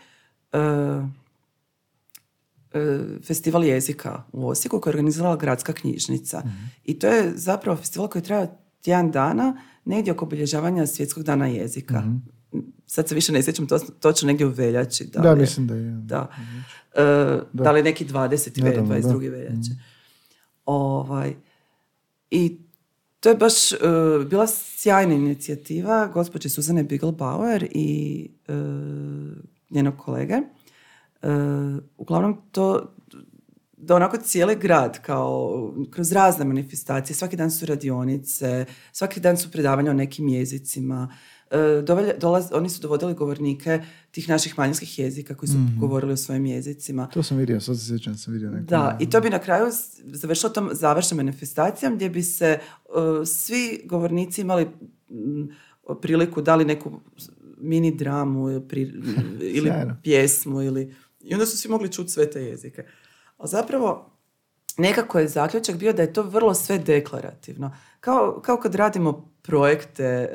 festival jezika u Osijeku koji je organizirala gradska knjižnica. I to je zapravo festival koji traje tjedan dana, negdje oko obilježavanja Svjetskog dana jezika. Sad se više ne sjećam točno negdje u veljači. Da, mislim da je. Da li neki 22. veljače. I to je baš bila sjajna inicijativa gospođe Suzane Bigelbauer i njenog kolege. Uglavnom to da onako cijeli grad kao kroz razne manifestacije, svaki dan su radionice, svaki dan su predavanja o nekim jezicima, oni su dovodili govornike tih naših manjinskih jezika koji su govorili o svojim jezicima. To sam vidio, sad se sjećam, sam vidio neko. Da, i to bi na kraju završilo tom završnom manifestacijom gdje bi se svi govornici imali priliku, dali neku mini dramu ili pjesmu i onda su svi mogli čuti sve te jezike. A zapravo nekako je zaključak bio da je to vrlo sve deklarativno. Kao kad radimo projekte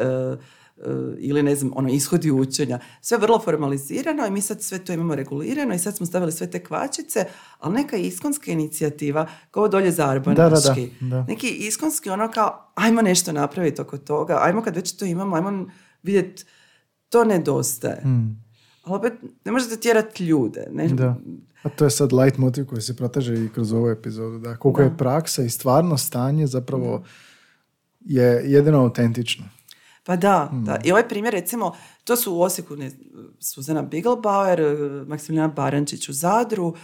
ili ne znam, ishodi učenja. Sve vrlo formalizirano i mi sad sve to imamo regulirano i sad smo stavili sve te kvačice, ali neka iskonska inicijativa kao dolje zarbanaški. Da. Neki iskonski kao ajmo nešto napraviti oko toga, ajmo kad već to imamo, ajmo vidjeti, to nedostaje. Ali opet ne možete tjerati ljude. Ne? Da. A to je sad light motiv koji se proteže i kroz ovu epizodu. Da. Koliko je praksa i stvarno stanje zapravo je jedino autentično. Pa da. I ovaj primjer, recimo, to su u Osijeku Suzana Bigelbauer, Maksimilijana Barančić u Zadru,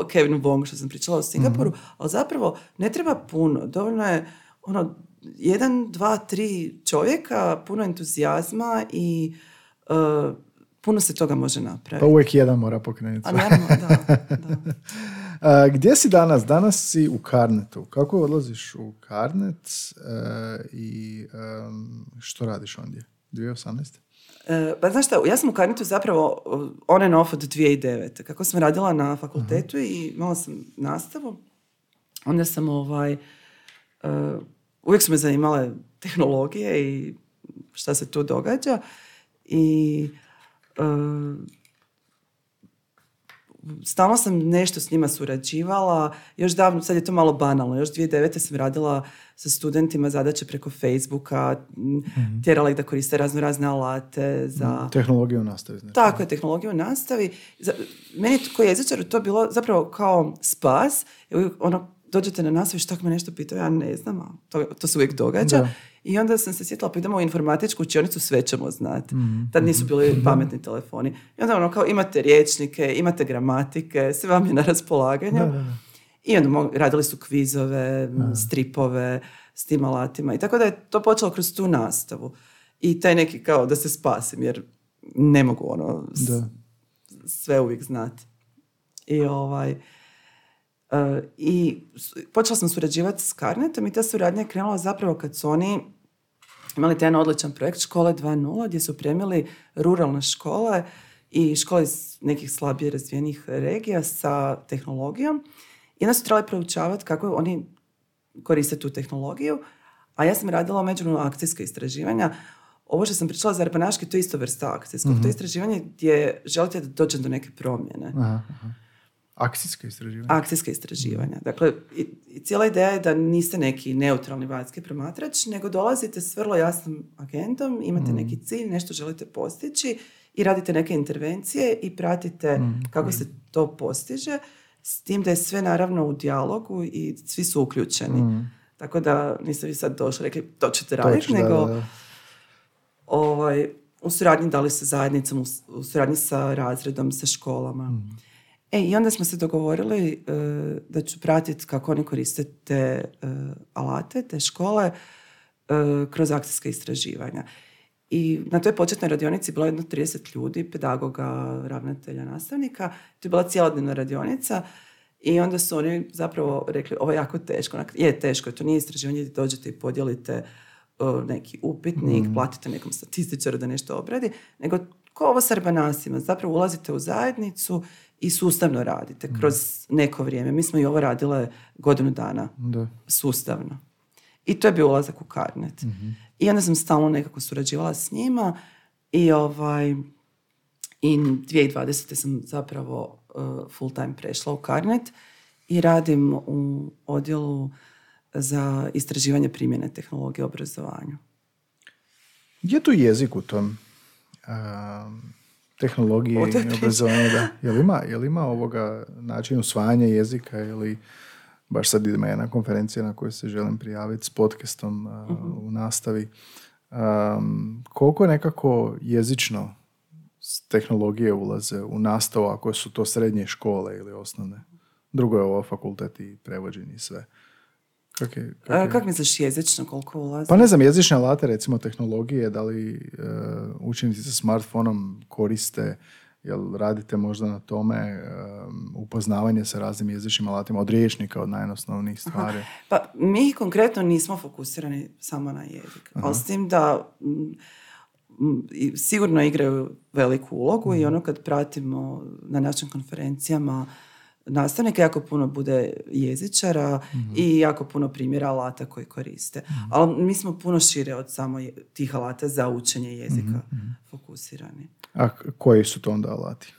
Kevin Wong, što sam pričala o Singapuru, ali zapravo ne treba puno. Dovoljno je 1, 2, 3 čovjeka, puno entuzijazma i puno se toga može napraviti. Pa uvijek jedan mora pokrenuti. A naravno, da. Gdje si danas? Danas si u Carnetu. Kako odlaziš u Carnet i što radiš ondje? 2018? Pa znaš šta, ja sam u Carnetu zapravo on and off od 2009. Kako sam radila na fakultetu i imala sam nastavu, onda sam uvijek su me zanimale tehnologije i šta se tu događa i stalno sam nešto s njima surađivala, još davno, sad je to malo banalno, još 2009. sam radila sa studentima zadaće preko Facebooka, tjerala ih da koriste razne alate za... Tehnologiju u nastavi. Znači. Tako je, tehnologiju u nastavi. Meni kao jezičaru to bilo zapravo kao spas. Dođete na nastavu i što me nešto pitao, ja ne znam, a to se uvijek događa. Da. I onda sam se sjetila, pa idemo u informatičku učionicu, sve ćemo znati. Tad nisu bili pametni telefoni. I onda kao imate rječnike, imate gramatike, sve vam je na raspolaganju. Da. I onda radili su kvizove, stripove s tim alatima. I tako da je to počelo kroz tu nastavu. I taj neki kao da se spasim, jer ne mogu sve uvijek znati. I počela sam surađivati s Carnetom i ta suradnja je krenula zapravo kad su oni imali taj jedan odličan projekt Škole 2.0 gdje su opremili ruralne škole i škole iz nekih slabije razvijenih regija sa tehnologijom. I onda su trebali proučavati kako oni koriste tu tehnologiju, a ja sam radila međunarodno akcijska istraživanja. Ovo što sam pričala za Arbanaški, to je isto vrsta akcijskog. To je istraživanje gdje želite da dođe do neke promjene. Akcijska istraživanja. Dakle, i cijela ideja je da niste neki neutralni vanjski promatrač, nego dolazite s vrlo jasnom agendom, imate neki cilj, nešto želite postići i radite neke intervencije i pratite kako se to postiže, s tim da je sve naravno u dijalogu i svi su uključeni. Tako da niste vi sad došli rekli to ćete raditi, nego u suradnji dali sa zajednicom, u suradnji sa razredom, sa školama. I onda smo se dogovorili da ću pratiti kako oni koriste te alate, te škole kroz akcijska istraživanja. I na toj početnoj radionici bilo jedno 30 ljudi, pedagoga, ravnatelja, nastavnika. To je bila cijelodnevna radionica i onda su oni zapravo rekli ovo je jako teško. Je teško, to nije istraživanje gdje dođete i podijelite neki upitnik, platite nekom statističaru da nešto obradi, nego ko ovo s Arbanasima, zapravo ulazite u zajednicu i sustavno radite kroz neko vrijeme. Mi smo i ovo radile godinu dana sustavno. I to je bio ulazak u Carnet. I onda sam stalno nekako surađivala s njima i 2020. sam zapravo full time prešla u Carnet i radim u odjelu za istraživanje primjene tehnologije u obrazovanju. Gdje je tu jezik u tom? Tehnologije i obrazovanja, da. Jel ima ovoga način usvajanja jezika ili baš sad idemo jedna konferencija na kojoj se želim prijaviti s podcastom u nastavi. Koliko nekako jezično tehnologije ulaze u nastavu ako su to srednje škole ili osnovne? Drugo je ovo fakultet i prevođenje i sve. Kako misliš jezično, koliko ulazi? Pa ne znam, jezične alate, recimo tehnologije, da li učenici sa smartfonom koriste, jel radite možda na tome upoznavanje sa raznim jezičnim alatima od rječnika, od najosnovnijih stvari? Pa mi konkretno nismo fokusirani samo na jezik, ali s tim da sigurno igraju veliku ulogu i ono kad pratimo na našim konferencijama nastavnika, jako puno bude jezičara i jako puno primjera alata koji koriste. Ali mi smo puno šire od samo tih alata za učenje jezika fokusirani. A koji su to onda alati?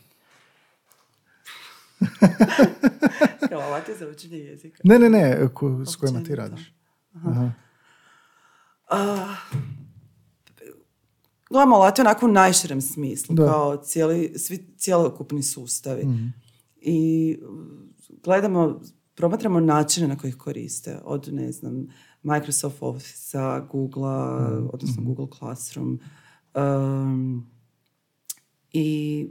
Kao alati za učenje jezika? Ne. S kojima ti radiš? Gledamo alate onako u najširem smislu, kao cijelokupni sustavi. I promatramo načine na koji ih koriste. Od, ne znam, Microsoft Office-a, Google-a, odnosno Google Classroom. I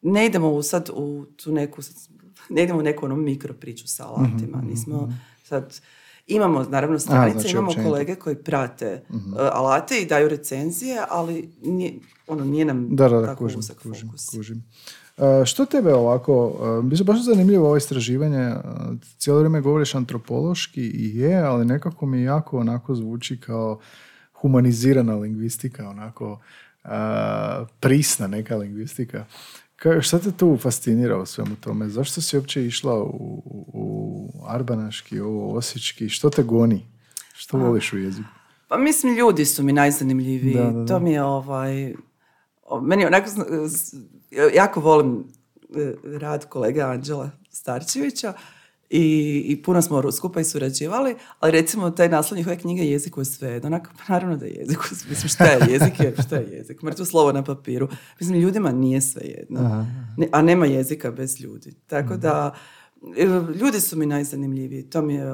ne idemo sad u tu neku, ne idemo u neku mikro priču sa alatima. Nismo sad... Imamo, naravno, stranice, znači, imamo kolege koji prate alate i daju recenzije, ali nije nam tako uzak fokus. Kužim. Što tebe ovako, biće baš zanimljivo ovo istraživanje, cijelo vrijeme govoriš antropološki i je, ali nekako mi jako onako zvuči kao humanizirana lingvistika, onako prisna neka lingvistika. Šta te tu fascinira u svemu tome? Zašto si uopće išla u Arbanaški, u Osječki? Što te goni? Što voliš u jeziku? Pa mislim, ljudi su mi najzanimljiviji. Da. To mi je meni onako... Jako volim rad kolege Anđela Starčevića i puno smo skupa i surađivali, ali recimo taj naslov njihove knjige Jezik u sve, onak, naravno da je jezik, mislim šta je jezik, šta je jezik, mrtvo slovo na papiru. Mislim, ljudima nije sve jedno, a nema jezika bez ljudi. Tako da, ljudi su mi najzanimljiviji, to mi je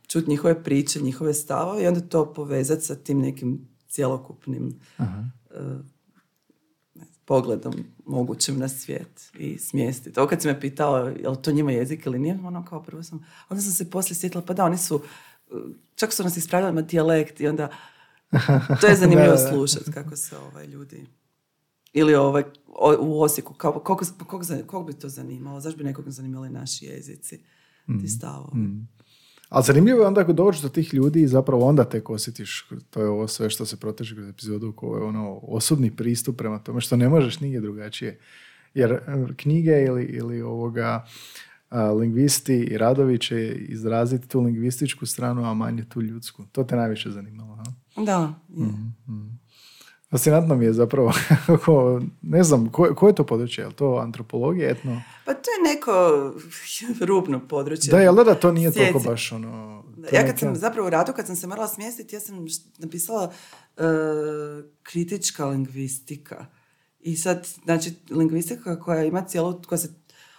čuti njihove priče, njihove stavove i onda to povezati sa tim nekim cjelokupnim pogledom mogućim na svijet i smjestiti. To kad si me pitao je li to njima jezik ili nije, ono kao prvo onda sam se poslije sjetila, pa da, oni su, čak su nas ispravljali na dijalekt i onda to je zanimljivo slušati kako se ljudi, ili u Osijeku, kog bi to zanimalo, zašto bi nekog zanimali naši jezici, ti stavovi. Ali zanimljivo je onda ako dođeš do tih ljudi i zapravo onda tek osjetiš, to je ovo sve što se proteže kroz epizodu, koji je osobni pristup prema tome što ne možeš nigdje drugačije. Jer knjige ili lingvisti i radovi će izraziti tu lingvističku stranu, a manje tu ljudsku. To te najviše zanimalo, ha? Da. Fascinantno mi je zapravo, ne znam, koje je to područje? Je li to antropologija, etno? Pa to je neko rubno područje. Da, jel da to nije toliko baš Ja kad sam zapravo u radu, kad sam se morala smjestiti, ja sam napisala kritička lingvistika. I sad, znači, lingvistika koja se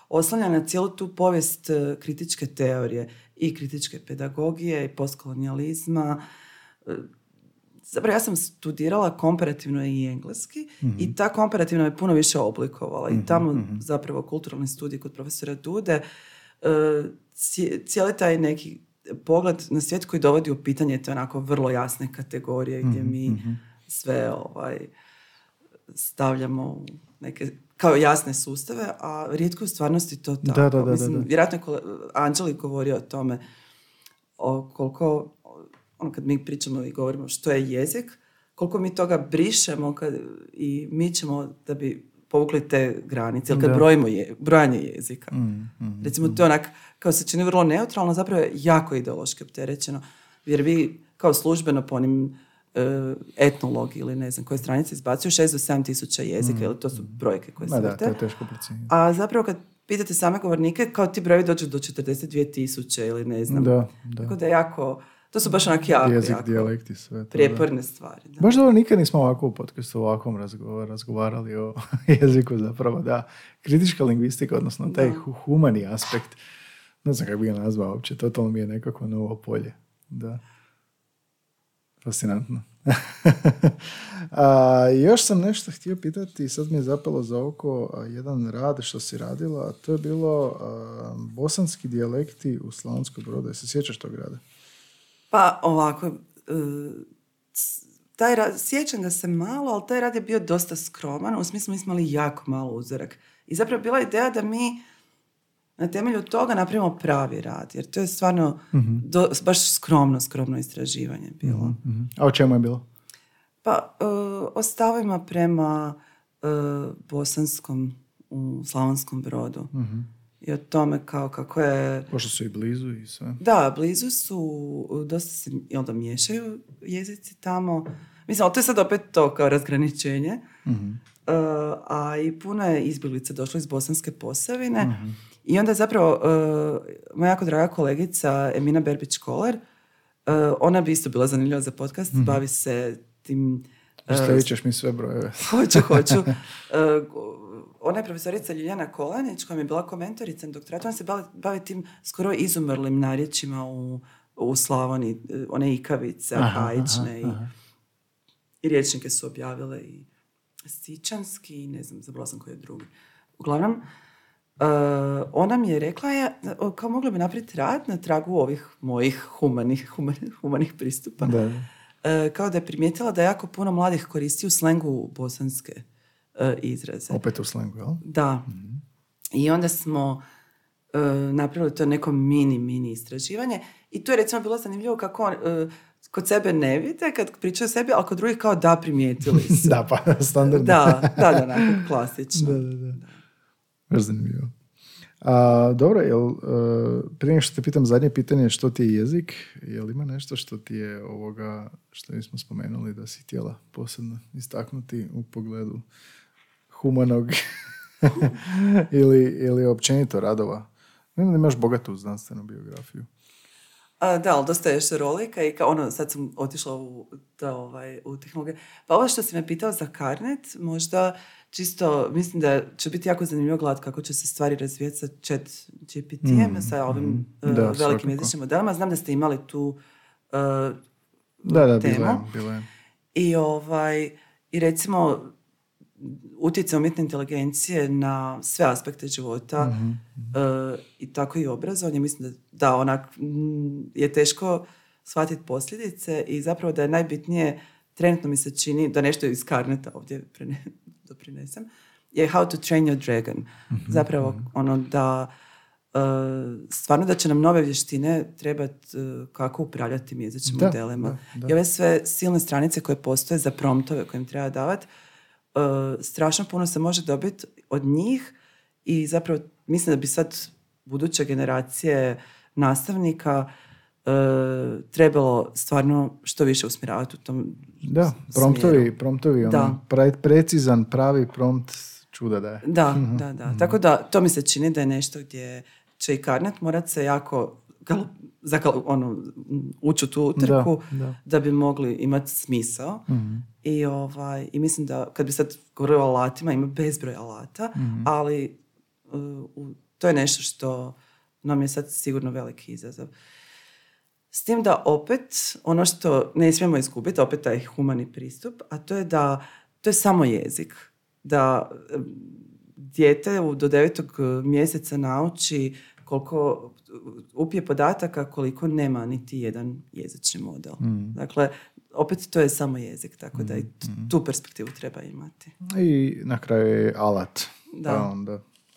oslanja na cijelu tu povijest kritičke teorije i kritičke pedagogije i postkolonijalizma. Zapravo ja sam studirala komparativno i engleski i ta komparativno je puno više oblikovala i tamo zapravo kulturalni studij kod profesora Dude cijeli taj neki pogled na svijet koji dovodi u pitanje te onako vrlo jasne kategorije gdje mi sve stavljamo u neke kao jasne sustave, a rijetko u stvarnosti to tako. Mislim, vjerojatno je Anđeli govorio o tome koliko kad mi pričamo i govorimo što je jezik, koliko mi toga brišemo i mi ćemo da bi povukli te granice, ili kad brojimo brojanje jezika. Recimo to je onak, kao se čini vrlo neutralno, zapravo je jako ideološki opterećeno, jer vi kao službeno po onim etnologi ili ne znam koje stranice izbacuju 6 do 7 tisuća jezika, ili to su brojke koje se vrte. To je teško procijeniti. A zapravo kad pitate same govornike, kao ti brojevi dođu do 42 tisuće ili ne znam. Tako da je jako... To su baš onak jako, jezik, dijalekti, sve to, prijeporne stvari. Da. Baš dobro, nikad nismo ovako u podcastu ovakvom razgovarali o jeziku zapravo, da. Kritička lingvistika, odnosno taj humani aspekt, ne znam kako bi ga nazvao uopće, totalno mi je nekako novo polje. Da. Fascinantno. Još sam nešto htio pitati, sad mi je zapelo za oko jedan rad što si radila, a to je bilo bosanski dijalekti u Slavonskom Brodu. Se sjećaš tog rada? Pa ovako, sjećam ga se malo, ali taj rad je bio dosta skroman, u smislu mi smo imali jako malo uzorak. I zapravo bila ideja da mi na temelju toga napravimo pravi rad, jer to je stvarno baš skromno istraživanje bilo. A o čemu je bilo? Pa o stavima prema bosanskom u Slavonskom Brodu. I o tome kako je... Pošto su i blizu i sve. Da, blizu su, dosta se onda miješaju jezici tamo. Mislim, ali to je sad opet to kao razgraničenje. A i puno je izbjeglica došlo iz Bosanske Posavine. I onda zapravo moja jako draga kolegica Emina Berbić-Kolar, ona bi isto bila zanimljiva za podcast, bavi se tim... Stavit ćeš mi sve brojeve. Hoću. Ona je profesorica Ljiljana Kolanić, koja mi je bila komentorica na doktoratu. Ona se bavi tim skoro izumrlim narječima u Slavoniji, one ikavice, arhaične i rječnike su objavile i sičanski i ne znam, zabrala sam koji je drugi. Uglavnom, ona mi je rekla kao mogla bi napraviti rad na tragu ovih mojih humanih pristupa. Da. Kao da je primijetila da jako puno mladih koristi u slengu bosanske izraze. Opet u slengu, jel? Da. I onda smo napravili to neko mini istraživanje i to je recimo bilo zanimljivo kako kod sebe ne vide kad pričaju o sebi, ali kod drugih kao da primijetili su. Da, pa standardno. Da, onako klasično. Da. Baš zanimljivo. Dobro, prije nego što te pitam zadnje pitanje, što ti je jezik? Jel ima nešto što ti je što nismo spomenuli da si htjela posebno istaknuti u pogledu humanog ili općenito radova. Vidim da imaš bogatu znanstvenu biografiju. Da, ali dosta je šarolika i sad sam otišla u tehnologiju. Pa ovo što si me pitao za Carnet, možda čisto, mislim da će biti jako zanimljivo gledati kako će se stvari razvijeti sa chat GPT-em, sa ovim velikim jezičnim modelima. Znam da ste imali tu temu. Bilo je. I recimo utjecaj umjetne inteligencije na sve aspekte života i tako i obrazovanje. Mislim da onak je teško shvatiti posljedice i zapravo da je najbitnije, trenutno mi se čini, da nešto iz Carneta ovdje doprinesem, je How to train your dragon. Zapravo da stvarno da će nam nove vještine trebati kako upravljati tim jezičnim modelima. I ove sve silne stranice koje postoje za promptove koje im treba davati, strašno puno se može dobiti od njih i zapravo mislim da bi sad buduće generacije nastavnika trebalo stvarno što više usmjeravati u tom smjeru. Promptovi, precizan, pravi prompt čuda daje. Da. Tako da to mi se čini da je nešto gdje će i Carnet morat se jako ući u tu utrku da bi mogli imati smisao. I mislim da kad bi sad govorio o alatima, ima bezbroj alata, ali to je nešto što nam je sad sigurno veliki izazov. S tim da opet, ono što ne smijemo izgubiti, opet taj humani pristup, a to je da to je samo jezik. Da dijete do 9. mjeseca nauči koliko upije podataka, koliko nema niti jedan jezični model. Dakle, opet to je samo jezik, tako da i tu perspektivu treba imati. I na kraju je alat. Da.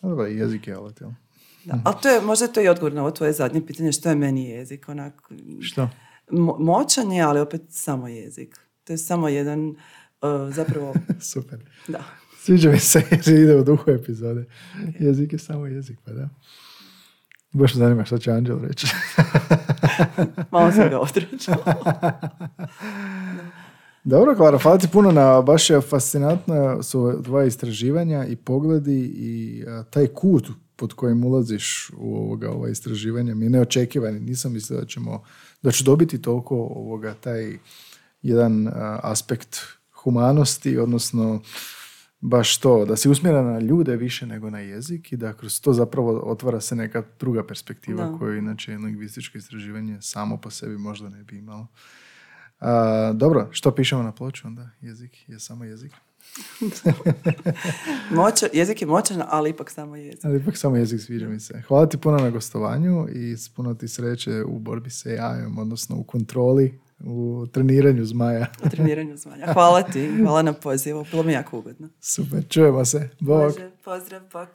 Onda jezik je alat, jel? Da, ali to je, možda to je i odgovor na ovo tvoje zadnje pitanje, što je meni jezik? Što? Moćan je, ali opet samo jezik. To je samo jedan, zapravo... Super. Da. Sviđa mi se jer ide u duhu epizode. Okay. Jezik je samo jezik, pa da. Baš zanima što će Anđel reći. Malo sam ga odrećala. Dobro, Klara, hvala ti puno baš je fascinantno su tvoje istraživanja i pogledi i taj kut pod kojim ulaziš u ova istraživanja mi je neočekivani. Nisam mislio da ću dobiti toliko taj jedan aspekt humanosti, odnosno baš to, da si usmjeren na ljude više nego na jezik i da kroz to zapravo otvara se neka druga perspektiva koju inače lingvističko istraživanje samo po sebi možda ne bi imalo. Dobro, što pišemo na ploču onda? Jezik je samo jezik. Jezik je moćan, ali ipak samo jezik. Ali ipak samo jezik, sviđa mi se. Hvala ti puno na gostovanju i puno ti sreće u borbi sa AI-om, odnosno u kontroli, u treniranju zmaja. Hvala ti, hvala na pozivu, bilo mi jako ugodno. Super, čujemo se. Bog. Pozdrav, bok.